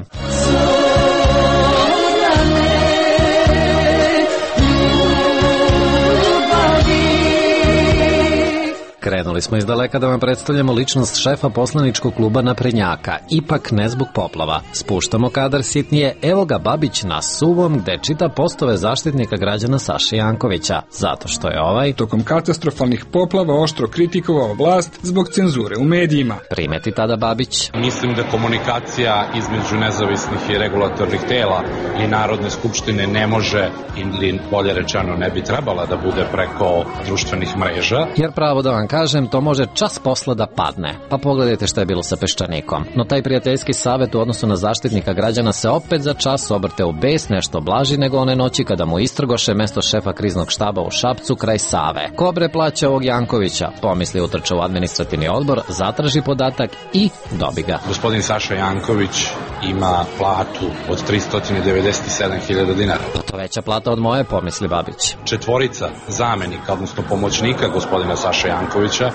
S13: Krenuli smo iz daleka da vam predstavljamo ličnost šefa poslaničkog kluba naprednjaka, ipak ne zbog poplava. Spuštamo kadar sitnije, evo ga Babić na suvom gde čita postove zaštitnika građana Saše Jankovića, zato što je ovaj
S2: tokom katastrofalnih poplava oštro kritikovao vlast zbog cenzure u medijima.
S13: Primeti tada Babić.
S3: Mislim da komunikacija između nezavisnih i regulatornih tela i Narodne skupštine ne može, ili bolje rečeno ne bi trebala da bude preko društvenih mreža.
S13: Jer pravo da vam kažem, to može čas posla da padne. Pa pogledajte šta je bilo sa Peščanikom. No taj prijateljski savjet u odnosu na zaštitnika građana se opet za čas obrte u bes, nešto blaži nego one noći kada mu istrgoše mesto šefa kriznog štaba u Šapcu kraj Save. Kobre plaća ovog Jankovića, pomisli utrča u administrativni odbor, zatraži podatak i dobi ga.
S3: Gospodin Saša Janković ima platu od tristo devedeset sedam hiljada dinara.
S13: Pa to veća plata od moje, pomisli Babić.
S3: Četvorica zamenika, odnosno pomoćnika gospodina Saša Jankovića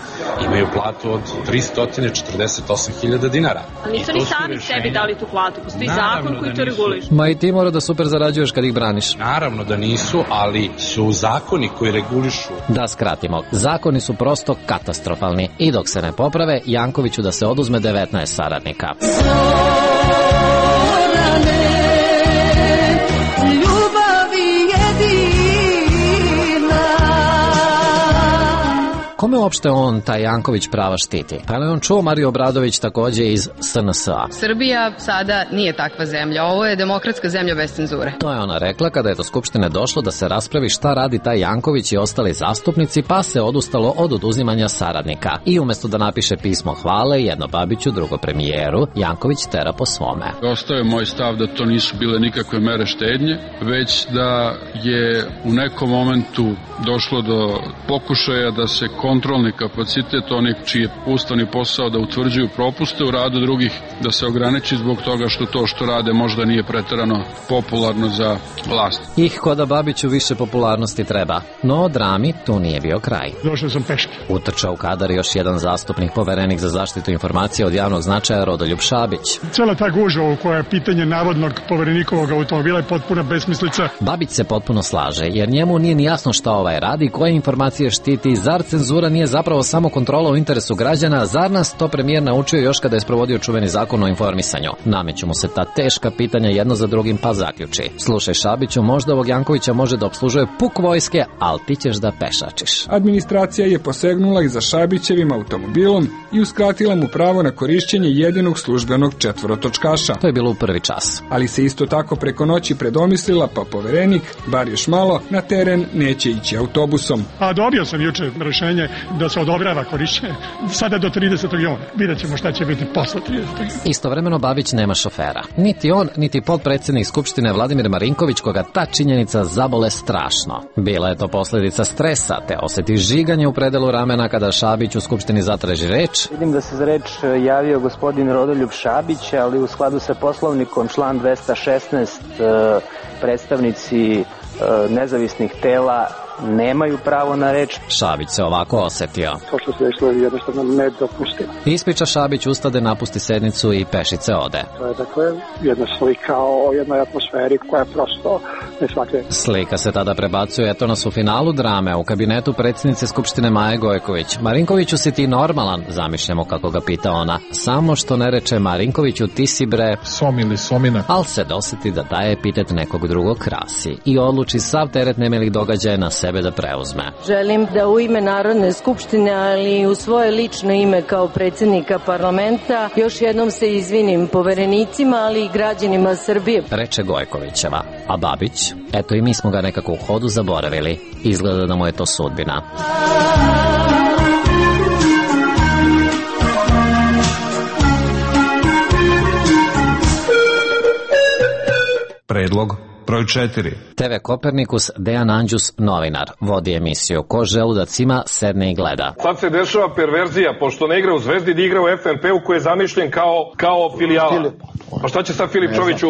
S3: imaju platu od tristo četrdeset osam hiljada dinara.
S9: A nisu ni sami sebi dali tu platu, postoji zakon koji to reguliše.
S13: Ma i ti mora da super zarađuješ kad ih braniš.
S3: Naravno da nisu, ali su zakoni koji regulišu.
S13: Da skratimo, zakoni su prosto katastrofalni i dok se ne poprave, Jankoviću da se oduzme devetnaest saradnika. Kome uopšte on, taj Janković, prava štiti? Pa je on čuo Mariju Obradović takođe iz S N S A.
S10: Srbija sada nije takva zemlja, ovo je demokratska zemlja bez cenzure.
S13: To je ona rekla kada je do Skupštine došlo da se raspravi šta radi taj Janković i ostali zastupnici, pa se odustalo od oduzimanja saradnika. I umesto da napiše pismo hvale, jedno Babiću, drugo premijeru, Janković tera po svome.
S11: Ostao je moj stav da to nisu bile nikakve mere štednje, već da je u nekom momentu došlo do pokušaja da se kontrolni kapacitet onih čiji je ustavni posao da utvrđuju propuste u radu drugih, da se ograniči zbog toga što to što rade možda nije preterano popularno za vlast.
S13: Ih ko da Babiću više popularnosti treba. No drami tu nije bio kraj.
S25: Došao sam peške.
S13: Utrčao u kadar još jedan zastupnik, poverenik za zaštitu informacija od javnog značaja Rodoljub Šabić.
S25: Cela ta gužva u kojoj je pitanje navodnog poverenikovog automobila je potpuna besmislica.
S13: Babić se potpuno slaže, jer njemu nije ni jasno šta ovaj radi, koje informacije štiti, zar cenzura nije zapravo samo kontrola u interesu građana, zar nas to premijer naučio još kada je sprovodio čuveni zakon o informisanju. Nameću mu se ta teška pitanja jedno za drugim, pa zaključi. Slušaj Šabiću, možda ovog Jankovića može da obslužuje puk vojske, ali ti ćeš da pešačiš.
S2: Administracija je posegnula i za Šabićevim automobilom i uskratila mu pravo na korišćenje jedinog službenog četvorotočkaša.
S13: To je bilo u prvi čas.
S2: Ali se isto tako preko noći predomislila, pa poverenik, bar još malo, na teren neće ići autobusom.
S25: A dobio sam juče rešenje da se odobrava korišćenje sada do tridesetog juna. Vidjet ćemo šta će biti posle tridesetog juna.
S13: Istovremeno Babić nema šofera. Niti on, niti potpredsednik Skupštine Vladimir Marinković, koga ta činjenica zabole strašno. Bila je to posledica stresa, te oseti žiganje u predelu ramena kada Šabić u Skupštini zatraži reč.
S26: Vidim da se za reč javio gospodin Rodoljub Šabić, ali u skladu sa poslovnikom član dvesta šesnaest predstavnici nezavisnih tela nemaju pravo na reč.
S13: Šabić se ovako osetio.
S25: To što se desilo je jednostavno nedopustivo.
S13: Ispriča Šabić, ustade, napusti sednicu i pešice ode.
S25: To je dakle jedna slika o jednoj atmosferi koja je prosto nesvakljiva.
S13: Slika se tada prebacuje, eto nas u finalu drame, u kabinetu predsjednice Skupštine Maje Gojković. Marinkoviću, si ti normalan? Zamišljamo kako ga pita ona. Samo što ne reče Marinkoviću, ti si bre...
S25: Som ili somina.
S13: Al se doseti da daje epitet nekog drugog krasi i odluči sav teret nemilih događaja na sebe da preuzme.
S27: Želim da u ime Narodne skupštine, ali i u svoje lično ime kao predsjednika parlamenta, još jednom se izvinim poverenicima, ali i građanima Srbije.
S13: Reče Gojkovićeva. A Babić? Eto i mi smo ga nekako u hodu zaboravili. Izgleda da mu je to sudbina.
S12: Predlog broj četiri.
S13: te ve Kopernikus, Dejan Anđus, novinar, vodi emisiju. Ko želudac ima, sedne i gleda.
S29: Sad se dešava perverzija, pošto ne igra u Zvezdi, da igra u F N P-u koji je zamišljen kao, kao filijala. Pa šta će sad Filip Čović u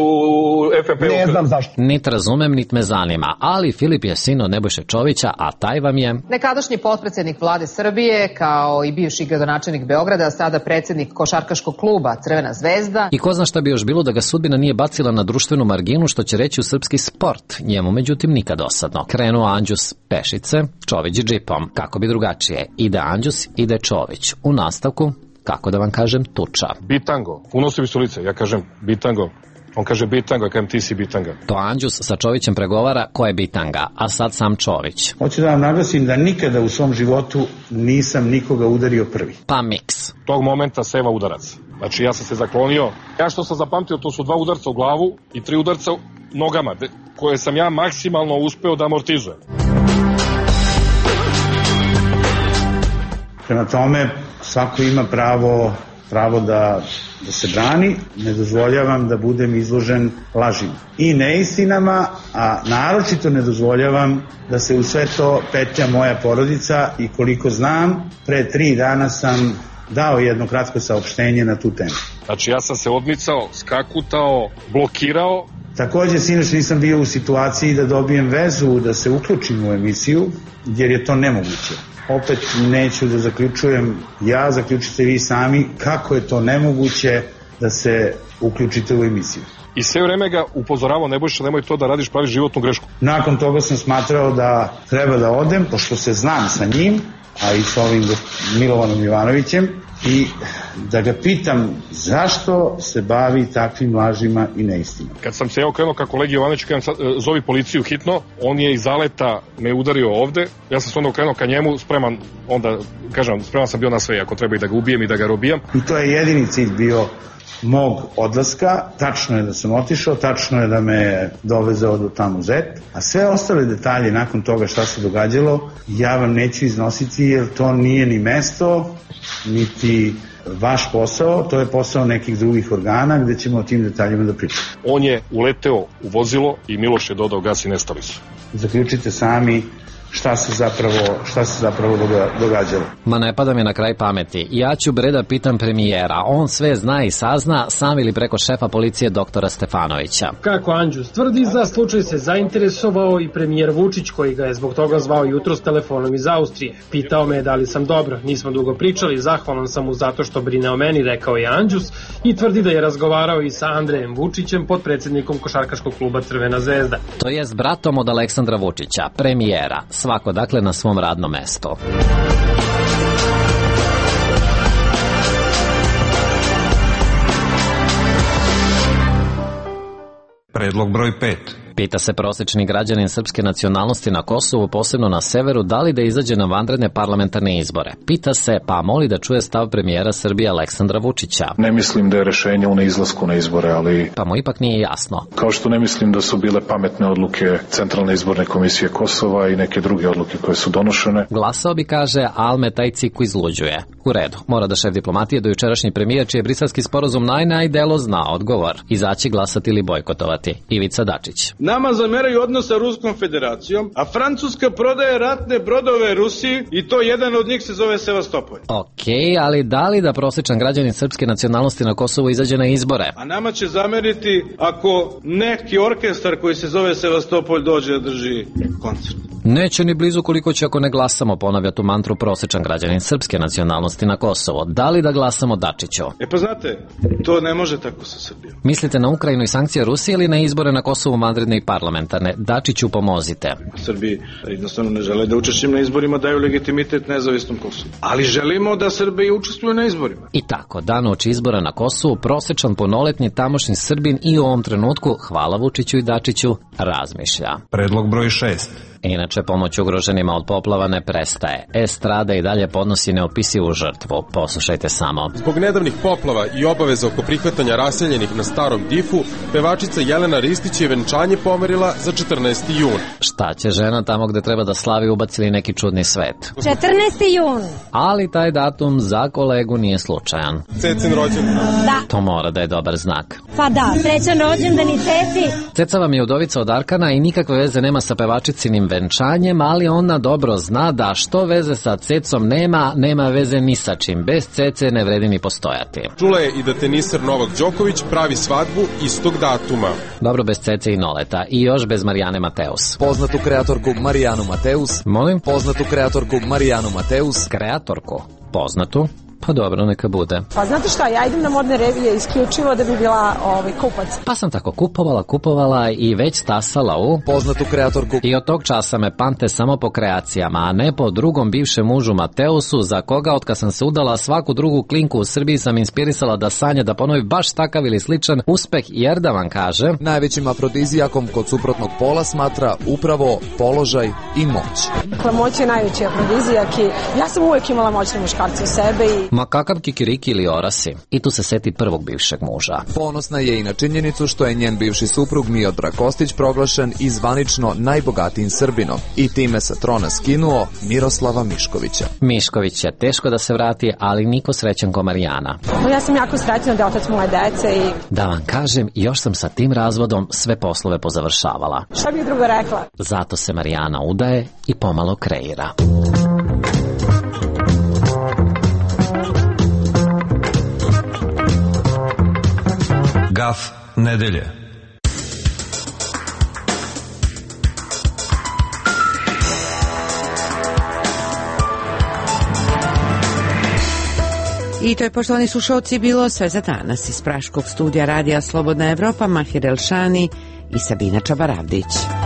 S29: F N P-u?
S26: Ne znam zašto.
S13: Nit razumem, nit me zanima, ali Filip je sin od Nebojše Čovića, a taj vam je...
S16: Nekadašnji potpredsjednik vlade Srbije, kao i bivši gradonačelnik Beograda, sada predsjednik košarkaškog kluba Crvena zvezda.
S13: I ko zna šta bi još bilo da ga sudbina nije bacila na društvenu marginu, što će reći u srpskim srpski sport, njemu međutim nikad dosadno. Krenuo Anđus pešice, Čović džipom. Kako bi drugačije? Ide Anđus, ide Čović. U nastavku, kako da vam kažem, tuča.
S29: Bitango, unosi mi su lice, ja kažem bitango. On kaže bitanga, kažem ti si bitanga.
S13: To Anđus sa Čovićem pregovara ko je bitanga, a sad sam Čović.
S1: Hoću da vam naglasim da nikada u svom životu nisam nikoga udario prvi.
S13: Pa miks.
S29: Tog momenta seva udarac. Znači ja sam se zaklonio. Ja što sam zapamtio, to su dva udarca u glavu i tri udarca nogama, koje sam ja maksimalno uspeo da amortizujem.
S1: Prema tome, svako ima pravo pravo da, da se brani, ne dozvoljavam da budem izložen lažima i neistinama, a naročito ne dozvoljavam da se u sve to petlja moja porodica i koliko znam, pre tri dana sam dao jedno kratko saopštenje na tu temu.
S29: Znači ja sam se odmicao, skakutao, blokirao.
S1: Takođe, sinoć nisam bio u situaciji da dobijem vezu, da se uključim u emisiju, jer je to nemoguće. Opet neću da zaključujem, ja zaključite vi sami kako je to nemoguće da se uključite u emisiju.
S29: I sve vreme ga upozoravao, Nebojša, nemoj to da radiš, praviš životnu grešku.
S1: Nakon toga sam smatrao da treba da odem, pošto se znam sa njim, a i sa ovim Milovanom Jovanovićem, i da ga pitam zašto se bavi takvim lažima i neistinama.
S29: Kad sam se ja okrenuo ka kolegi Jovanoviću, kada zovi policiju hitno, on je iz zaleta me udario ovde, ja sam se onda okrenuo ka njemu, spreman, onda, kažem, spreman sam bio na sve, ako treba i da ga ubijem i da ga robijam.
S1: I to je jedini cilj bio mog odlaska, tačno je da sam otišao, tačno je da me dovezao do tamo Zet, a sve ostale detalje nakon toga šta se događalo, ja vam neću iznositi jer to nije ni mesto, niti vaš posao, to je posao nekih drugih organa gde ćemo o tim detaljima da pričamo.
S29: On je uleteo u vozilo i Miloš je dodao gas i nestali su.
S1: Zaključite sami šta se zapravo, šta se zapravo događalo.
S13: Ma ne pada mi na kraj pameti. Ja ću bre da pitam premijera. On sve zna i sazna, sam ili preko šefa policije doktora Stefanovića.
S14: Kako Anđus tvrdi, za slučaj se zainteresovao i premijer Vučić, koji ga je zbog toga zvao jutros telefonom iz Austrije. Pitao me da li sam dobro, nismo dugo pričali, zahvalan sam mu zato što brine o meni, rekao je Anđus, i tvrdi da je razgovarao i sa Andrejem Vučićem, potpredsednikom košarkaškog kluba Crvena zvezda.
S13: To je s bratom od Aleksandra Vučića, premijera. Svako dakle na svom radnom mestu.
S12: Predlog broj pet.
S13: Pita se prosečni građanin srpske nacionalnosti na Kosovu, posebno na severu, da li da izađe na vanredne parlamentarne izbore. Pita se, pa moli da čuje stav premijera Srbije Aleksandra Vučića.
S7: Ne mislim da je rešenje u neizlasku na izbore, ali...
S13: Pa mu ipak nije jasno.
S7: Kao što ne mislim da su bile pametne odluke Centralne izborne komisije Kosova i neke druge odluke koje su donošene.
S13: Glasao bi, kaže, Alme taj ciku izluđuje. U redu, mora da šef diplomatije do jučerašnji premijer, čiji je briselski sporazum naj najdelo zna odgovor. Izaći glasati ili bojkotovati. Ivica Dačić.
S15: Nama zameraju odnos sa Ruskom federacijom, a Francuska prodaje ratne brodove Rusiji i to jedan od njih se zove Sevastopol.
S13: Okej, ali da li da prosječan građanin srpske nacionalnosti na Kosovu izađe na izbore?
S15: A nama će zameriti ako neki orkestar koji se zove Sevastopol dođe da drži koncert.
S13: Neće ni blizu koliko će ako ne glasamo, ponavlja tu mantru prosječan građanin srpske nacionalnosti na Kosovo. Da li da glasamo Dačiću?
S15: E pa znate, to ne može tako sa Srbijom.
S13: Mislite na Ukrajinu i sankcije Rusije ili na izbore na Kosovu vanredne i parlamentarne? Dačiću, pomozite.
S15: Srbiji jednostavno ne žele da učešćem na izborima daju legitimitet nezavisnom Kosovu. Ali želimo da Srbiji učestvuju na izborima.
S13: I tako, dan uoči izbora na Kosovu, prosječan punoletni tamošnji Srbin i u ovom trenutku, hvala Vučiću i Dačiću, razmišlja.
S12: Predlog broj šest.
S13: Inače, pomoć ugroženima od poplava ne prestaje. Estrada i dalje podnosi neopisivu žrtvu. Poslušajte samo.
S17: Zbog nedavnih poplava i obaveza oko prihvatanja raseljenih na Starom Difu, pevačica Jelena Ristić je venčanje pomerila za četrnaesti jun.
S13: Šta će žena tamo gde treba da slavi ubacili neki čudni svet?
S19: četrnaesti jun.
S13: Ali taj datum za kolegu nije slučajan.
S17: Cecin rođendan.
S19: Da.
S13: To mora da je dobar znak.
S19: Pa da, srećan rođendan i Ceci.
S13: Ceca vam je udovica od Arkana i nikakve veze nema sa pevačicinim venčanjem, ali ona dobro zna da što veze sa Cecom nema, nema veze ni sa čim. Bez Cece ne vredi ni postojati.
S17: Čula je i da teniser Novak Đoković pravi svadbu istog datuma.
S13: Dobro, bez Cece i Noleta i još bez Marijane Mateus.
S20: Poznatu kreatorku Marijanu Mateus.
S13: Molim?
S20: Poznatu kreatorku Marijanu Mateus.
S13: Kreatorku? Poznatu? Pa dobro, neka bude.
S5: Pa znate šta, ja idem na modne revije isključivo da bi bila ovaj, kupac.
S13: Pa sam tako kupovala, kupovala i već stasala u
S6: poznatu kreatorku.
S13: I od tog časa me pamte samo po kreacijama, a ne po drugom bivšem mužu Mateusu, za koga od kad sam se udala svaku drugu klinku u Srbiji sam inspirisala da sanja da ponovi baš takav ili sličan uspeh, jer da vam kaže,
S6: najvećim afrodizijakom kod suprotnog pola smatra upravo položaj i moć.
S5: Dakle, moć je najveći afrodizijak i ja sam uvijek imala moćne muškarce u sebe i...
S13: Ma kakav kikiriki ili orasi. I tu se seti prvog bivšeg muža.
S6: Ponosna je i na činjenicu što je njen bivši suprug Miodrag Kostić proglašen i zvanično najbogatijim Srbinom i time sa trona skinuo Miroslava Miškovića.
S13: Mišković je teško da se vrati, ali niko srećan ko Marijana.
S5: Ja sam jako srećna da je otac moje dece i...
S13: Da vam kažem, još sam sa tim razvodom sve poslove pozavršavala.
S5: Šta bih drugo rekla?
S13: Zato se Marijana udaje i pomalo kreira.
S12: Gaf nedelje.
S18: I to je, poštovani slušalci, bilo sve za danas. Iz praškog studija Radija Slobodna Evropa, Mahir Elšani i Sabina Čabaravdić.